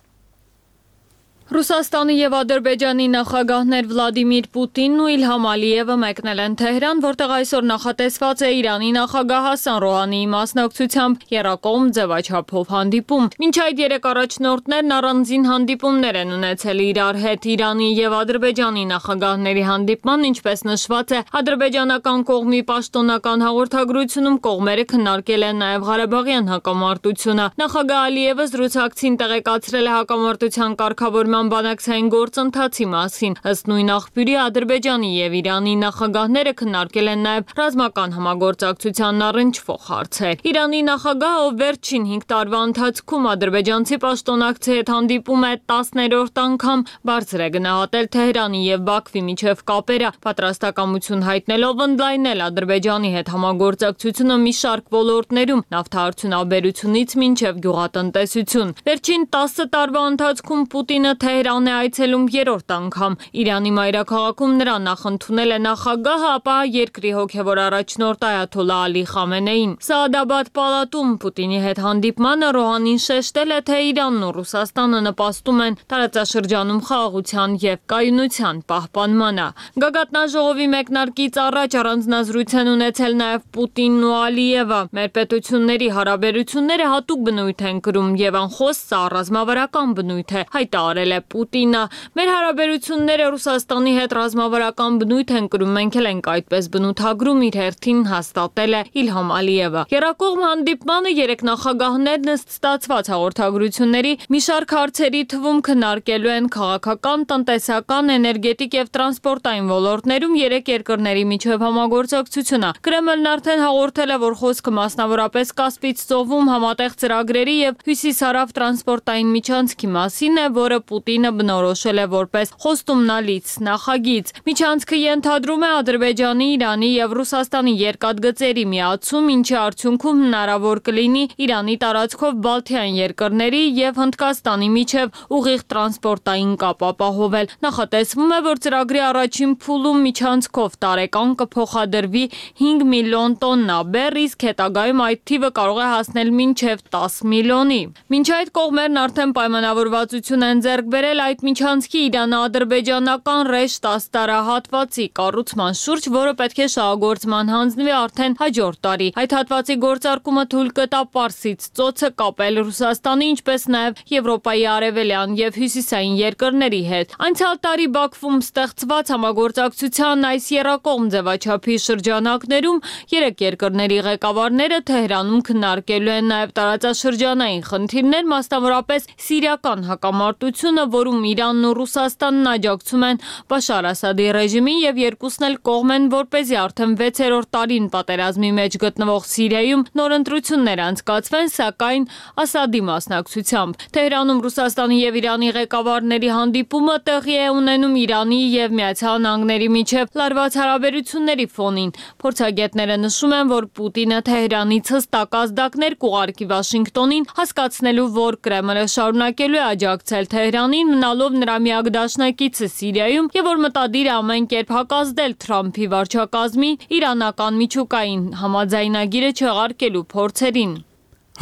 Ռուսաստանի եւ Ադրբեջանի նախագահներ Վլադիմիր Պուտինն ու Իլհամ Ալիևը մեկնել են Թեհրան, որտեղ այսօր նախատեսված է Իրանի նախագահ Հասան Ռոհանիի մասնակցությամբ եռակողմ ձևաչափով հանդիպում։ Մինչ այդ երեք առաջնորդներն առանձին հանդիպումներ են ունեցել իրար հետ։ Իրանի եւ Ադրբեջանի նախագահների հանդիպման, ինչպես նշված է, ադրբեջանական կողմի պաշտոնական հաղորդագրությունում կողմերը քննարկել են նաեւ Ղարաբաղյան հակամարտությունը։ Նախագահ Ալիևը զրուցակցին տեղեկացրել է հակամարտության կարգավորման բանակցային գործընթացի մասին։ Ըստ նույն աղբյուրի Ադրբեջանի եւ Իրանի նախագահները քննարկել են նաեւ ռազմական համագործակցությանն առնչվող հարցեր։ Իրանի նախագահը, ով վերջին հինգ տարվա ընթացքում ադրբեջանցի պաշտոնակցի հետ հանդիպում է տասներորդ անգամ, բարձր է գնահատել Թեհրանի եւ Բաքվի միջև կապերը, պատրաստակամություն հայտնելով ընդլայնել Ադրբեջանի հետ համագործակցությունը մի շարք ոլորտներում, նավթարդյունաբերությունից մինչև գյուղատնտեսություն։ Վերջին տասը տարվա ընթացքում Պուտինը Թեհրան է այցելում երրորդ անգամ։ Իրանի մայրաքաղաքում նրան նախընդունել է նախագահը, ապա երկրի հոգևոր առաջնորդ Այաթոլլա Ալի Խամենեին։ Սաադաբադ պալատում Պուտինի հետ հանդիպմանը Ռոհանին շեշտել է, թե Իրանն ու Ռուսաստանը նպաստում են տարածաշրջանում խաղաղության եւ կայունության պահպանմանը։ Գագաթնաժողովի մեկնարկից առաջ առանձնազրույց են ունեցել նաեւ Պուտինն ու Ալիևը։ Մեր պետությունների հարաբերությունները հատուկ բնույթ են կրում եւ անխոս սա ռազմավարական բնույթ է, հայտարարել է Պուտինը։ Մեր հարաբերությունները Ռուսաստանի հետ ռազմավարական բնույթ են կրում, մենք էլ ենք այդպես բնութագրում, իր հերթին հաստատել է Իլհամ Ալիևը։ Եռակողմ հանդիպմանը երեք նախագահներն ըստ ստացված հաղորդագրությունների մի շարք հարցերի թվում քննարկելու են քաղաքական, տնտեսական, էներգետիկ եւ տրանսպորտային ոլորտներում երեք երկրների միջև համագործակցությունը։ Կրեմլն արդեն հաղորդել է, որ խոսքը մասնավորապես Կասպից ծովում համատեղ ծրագրերի եւ հյուսիսարավ տրանսպորտային միջանցքի մասին է, որը Պուտինը բնորոշել է որպես խոստումնալից նախագիծ։ Միջանցքը ենթադրում է Ադրբեջանի, Իրանի եւ Ռուսաստանի երկաթգծերի միացում, ինչի արդյունքում հնարավոր կլինի Իրանի տարածքով Բալթյան երկրների եւ Հնդկաստանի միջև ուղիղ տրանսպորտային կապ ապահովել։ Նախատեսվում է, որ ծրագրի առաջին փուլում միջանցքով տարեկան կփոխադրվի հինգ միլիոն տոննա բեռ, իսկ հետագայում այդ թիվը կարող է հասնել մինչև տասը միլիոնի։ Մինչ այդ կողմերն արդեն պայմանավորվածություն են ձեռք բերել այդ միջանցքի իրано-ադրբեջանական ռեշտ աստարահատվածի կառուցման շուրջ, որը պետք է շահագործման հանձնվի արդեն հաջորդ տարի։ Այդ հատվածի գործարկումը թույլ կտա Պարսից ծոցը կապել Ռուսաստանի, ինչպես նաև Եվրոպայի արևելյան եւ հյուսիսային երկրների հետ։ Անցյալ տարի Բաքվում ստեղծված համագործակցության այս եռակողմ ձևաչափի շրջանակներում երեք երկրների ղեկավարները Թեհրանում քննարկելու են նաև տարածաշրջանային խնդիրներ, մասնավորապես սիրիական հակամարտությունը, որում Իրանն ու Ռուսաստանն աջակցում են Բաշար Ասադի ռեժիմին եւ երկուսն էլ կողմ են, որպեսզի արդեն վեցերորդ տարին պատերազմի մեջ գտնվող Սիրիայում նոր ընտրություններ անցկացվեն, սակայն Ասադի մասնակցությամբ։ Թեհրանում Ռուսաստանի եւ Իրանի ղեկավարների հանդիպումը տեղի է ունենում Իրանի եւ Միացյալ Նահանգների միջև լարված հարաբերությունների ֆոնին։ Փորձագետները նշում են, որ Պուտինը Թեհրանից հստակ ազդակներ կուղարկի Վաշինգտոնին, հասկացնելու, որ Կրեմլը շարունակելու է աջակցել Թեհրանին, մնալով նրա միակ դաշնակիցը Սիրիայում, եւ որ մտադիր է ամեն կերպ հակազդել Թրամփի վարչակազմի իրանական միջուկային համաձայնագիրը չեղարկելու փորձերին։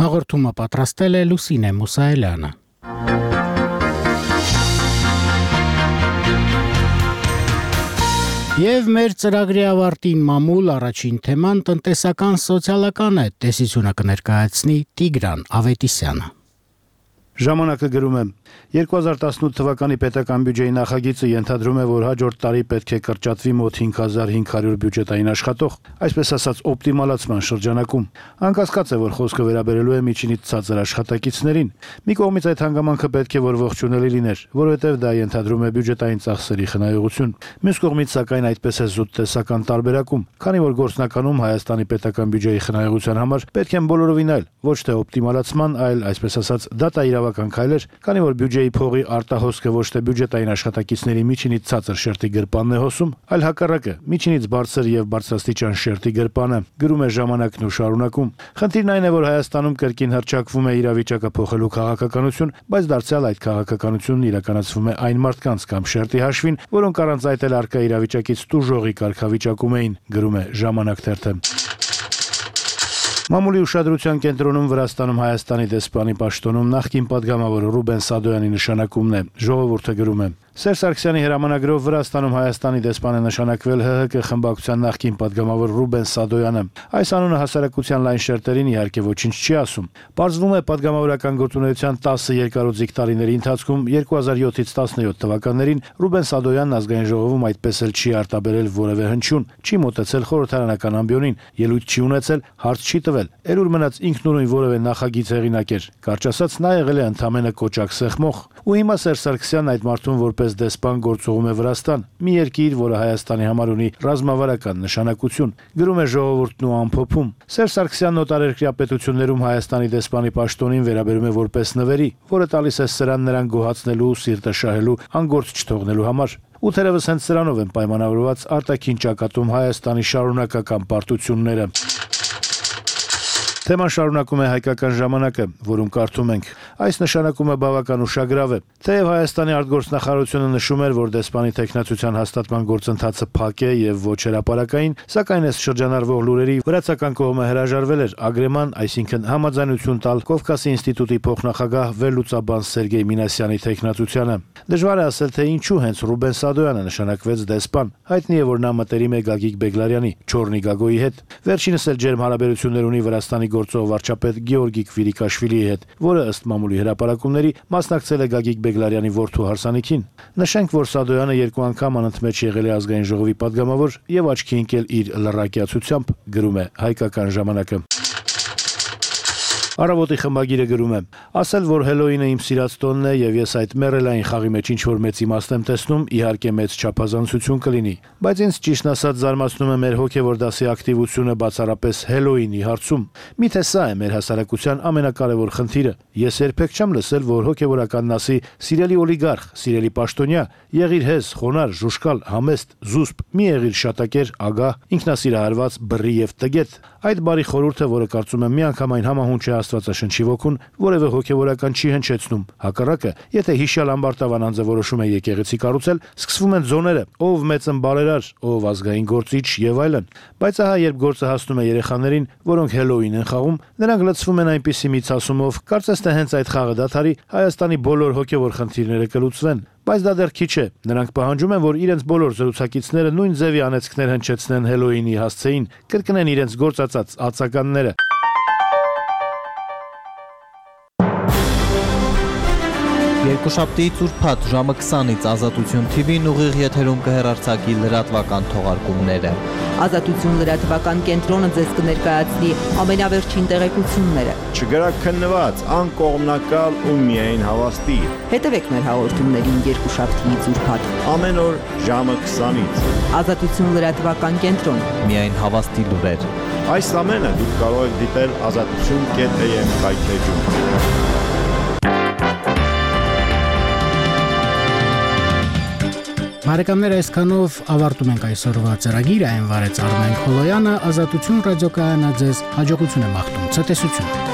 Հաղորդումը պատրաստել է Լուսինե Մուսայելյանը։ Եվ մեր ծրագրի ավարտին մամուլ առաջին թեման տնտեսական սոցիալական է, տեսությունը կներկայացնի Տիգրան Ավետիսյանը։ Ժամանակը գրում է. երկու հազար տասնութ թվականի պետական բյուջեի նախագիծը ենթադրում է, որ հաջորդ տարի պետք է կրճատվի մոտ հինգ հազար հինգ հարյուր բյուջետային աշխատող, այսպես ասած օպտիմալացման շրջանակում։ Անկասկած է, որ խոսքը վերաբերելու է միջինից ցածր աշխատակիցներին։ Մի կողմից այդ հանգամանքը պետք է որ ողջունելի լիներ, որովհետև դա ենթադրում է բյուջետային ծախսերի խնայողություն։ Մյուս կողմից, սակայն, այդպես է զուտ տեսական տարբերակում, քանի որ գործնականում Հայաստանի պետական բյուջեի խնայողության համար պետք են բոլորովին այլ, ոչ թե օպտիմալացման, այլ, այսպես ասած, դատաիրավական քայլեր, քանի որ բյուջեի փողի արտահոսքը ոչ թե բյուջետային աշխատակիցների միջինից ցածր շերտի գրպանն է հոսում, այլ հակառակը, միջինից բարձր եւ բարձրաստիճան շերտի գրպանը, գրում է Ժամանակն ու շարունակում։ Խնդիրն այն է, որ Հայաստանում կրկին հռչակվում է իրավիճակը փոխելու քաղաքականություն, բայց դարձյալ այդ քաղաքականությունն իրականացվում է այն մարդկանց կամ շերտի հաշվին, որոնք առանց այդ էլ արկա իրավիճակից տուժողի կարգավիճակում էին, գրում է Ժամանակ թերթը։ Մամուլի ուշադրության կենտրոնում Վրաստանում Հայաստանի դեսպանի պաշտոնում նախկին պատգամավոր Ռուբեն Սադոյանի նշանակումն է, ժողովուրդը գրում է։ Սերժ Սարգսյանի հրամանագրով Վրաստանում Հայաստանի դեսպան է նշանակվել ՀՀԿ խմբակցության նախկին պատգամավոր Ռուբեն Սադոյանը։ Այս անունը հասարակության լայն շերտերին իհարկե ոչինչ չի ասում։ Պարզվում է պատգամավորական գործունեության տասը երկարոձիկ տարիների ընթացքում երկու հազար յոթից տասնյոթ թվականներին Ռուբեն Սադոյանն ազգային ժողովում այդպես էլ չի արտաբերել որևէ հնչյուն, չի մոտեցել խորհրդարանական ամբիոնին, ելույթ չի ունեցել, հարց չի տվել։ Էլ ուր մնաց ինքնուրույն որևէ նախագիծ հեղինակեր։ Կարճ ասած, նա եղել է ընդամենը կոճակ սեղմող։ Ու հիմա Սերժ Սարգսյանն այդ մարդուն որպես դեսպան գործողում է Վրաստան, մի երկիր, որը Հայաստանի համար ունի ռազմավարական նշանակություն, գրում է Ժողովուրդն ու ամփոփում։ Սերժ Սարգսյանն օտարերկրյա պետություններում Հայաստանի դեսպանի պաշտոնին վերաբերում է որպես նվերի, որը տալիս է սրան նրան գոհացնելու, սիրտը շահելու, անգործ չթողնելու համար։ Ու թերևս հենց սրանով են պայմանավորված արտաքին ճակատում Հայաստանի շարունակական պարտությունները։ Թեման շարունակում է Հայկական ժամանակը, որում կարդում ենք. այս նշանակումը բավական ուշագրավ է։ Թեև Հայաստանի արտգործնախարարությունը նշում էր, որ դեսպանի տեխնացության հաստատման գործընթացը փակ է եւ ոչ հրապարակային, սակայն այս շրջանառվող լուրերի վրացական կողմը հրաժարվել էր ագրեման, այսինքն համաձայնություն տալ Կովկասի ինստիտուտի փոխնախագահ վերլուծաբան Սերգեյ Մինասյանի տեխնացությանը։ Դժվար է ասել, թե ինչու հենց Ռուբեն Սադոյանը նշանակվեց դեսպան։ Հայտնի է, որ նա մտերիմ է Գագիկ Բեգլարյանի, Չորնի Գագոյի հետ։ Վերջինս էլ ջերմ հարաբերություններ ունի Վրաստանի գործող վարչապետ Գեորգի Քվիրիկաշվիլիի հետ, որը ըստ մամուլի հրապարակումների մասնակցել է Գագիկ Բեգլարյանի որդու հարսանիքին։ Նշենք, որ Սադոյանը երկու անգամ անընդմեջ եղել է ազգային ժողովի պատգամավոր եւ աչքի ընկել իր լռակյացությամբ, գրում է Հայկական ժամանակը։ Առավոտի խմբագիրը գրում է. ասել, որ Հելոինը իմ սիրած տոնն է եւ ես այդ մեռելային խաղի մեջ ինչ որ մեծ իմաստ եմ տեսնում, իհարկե մեծ չափազանցություն կլինի, բայց ինձ ճիշտն ասած զարմացնում է մեր հոգեվոր դասի ակտիվությունը բացառապես Հելոինի հարցում։ Միթե սա է մեր հասարակության ամենակարևոր խնդիրը։ Ես երբեք չեմ լսել, որ հոգեվորականն ասի՝ սիրելի օլիգարխ, սիրելի պաշտոնյա, եղիր հեզ, խոնար, ժուշկալ, համեստ, զուսպ, մի եղիր շատակեր, ագահ, ինքնասիրահարված, բռի եւ տգետ։ Այդ բարի խորհուրդը, որը կարծում եմ միանգամայն համահունչ է Աստվածաշնչի ոգուն որևէ հոգևորական չի հնչեցնում։ Հակառակը, եթե հիշյալ ամբարտավան անձը որոշում է եկեղեցի կառուցել, սկսվում են զոները՝ ով մեծն բարերար, ով ազգային գործիչ եւ այլն։ Բայց ահա երբ գործը հասնում է երեխաներին, որոնք հելոուին են խաղում, նրանք լցվում են այնպիսի մի ցասումով, կարծես թե հենց այդ խաղը դադարի Հայաստանի բոլոր հոգևոր խնդիրները կլուծվեն։ Բայց դա դեռ քիչ է։ Նրանք պահանջում են, որ իրենց բոլոր զրուցակիցները նույն ձևի անեծքներ հնչեցնեն հելոուինի հասցեին, կրկնեն իրենց գործածած ածականները։ Երկուշաբթի ծուրփաթ ժամը քսանից Ազատություն թի վին ուղիղ եթերում կհեռարձակի լրատվական թողարկումները։ Ազատություն լրատվական կենտրոնը ձեզ կներկայացնի ամենավերջին տեղեկությունները։ Չգրաքննված, անկողմնակալ ու միայն հավաստի։ Հետևեք մեր հաղորդումներին երկուշաբթի ծուրփաթ ամեն օր ժամը քսանից։ Ազատություն լրատվական կենտրոն, միայն հավաստի լուրեր։ Այս ամենը դուք կարող եք դիտել ազատություն կետ է եմ կայքեջում։ Բարեկամներ, այսքանով ավարտում ենք այսօրվա ծրագիրը, այն վարեց Արմեն Քոլոյանը, Ազատություն ռադիոկայանը ձեզ հաջողություն է մաղթում, ցտեսություն։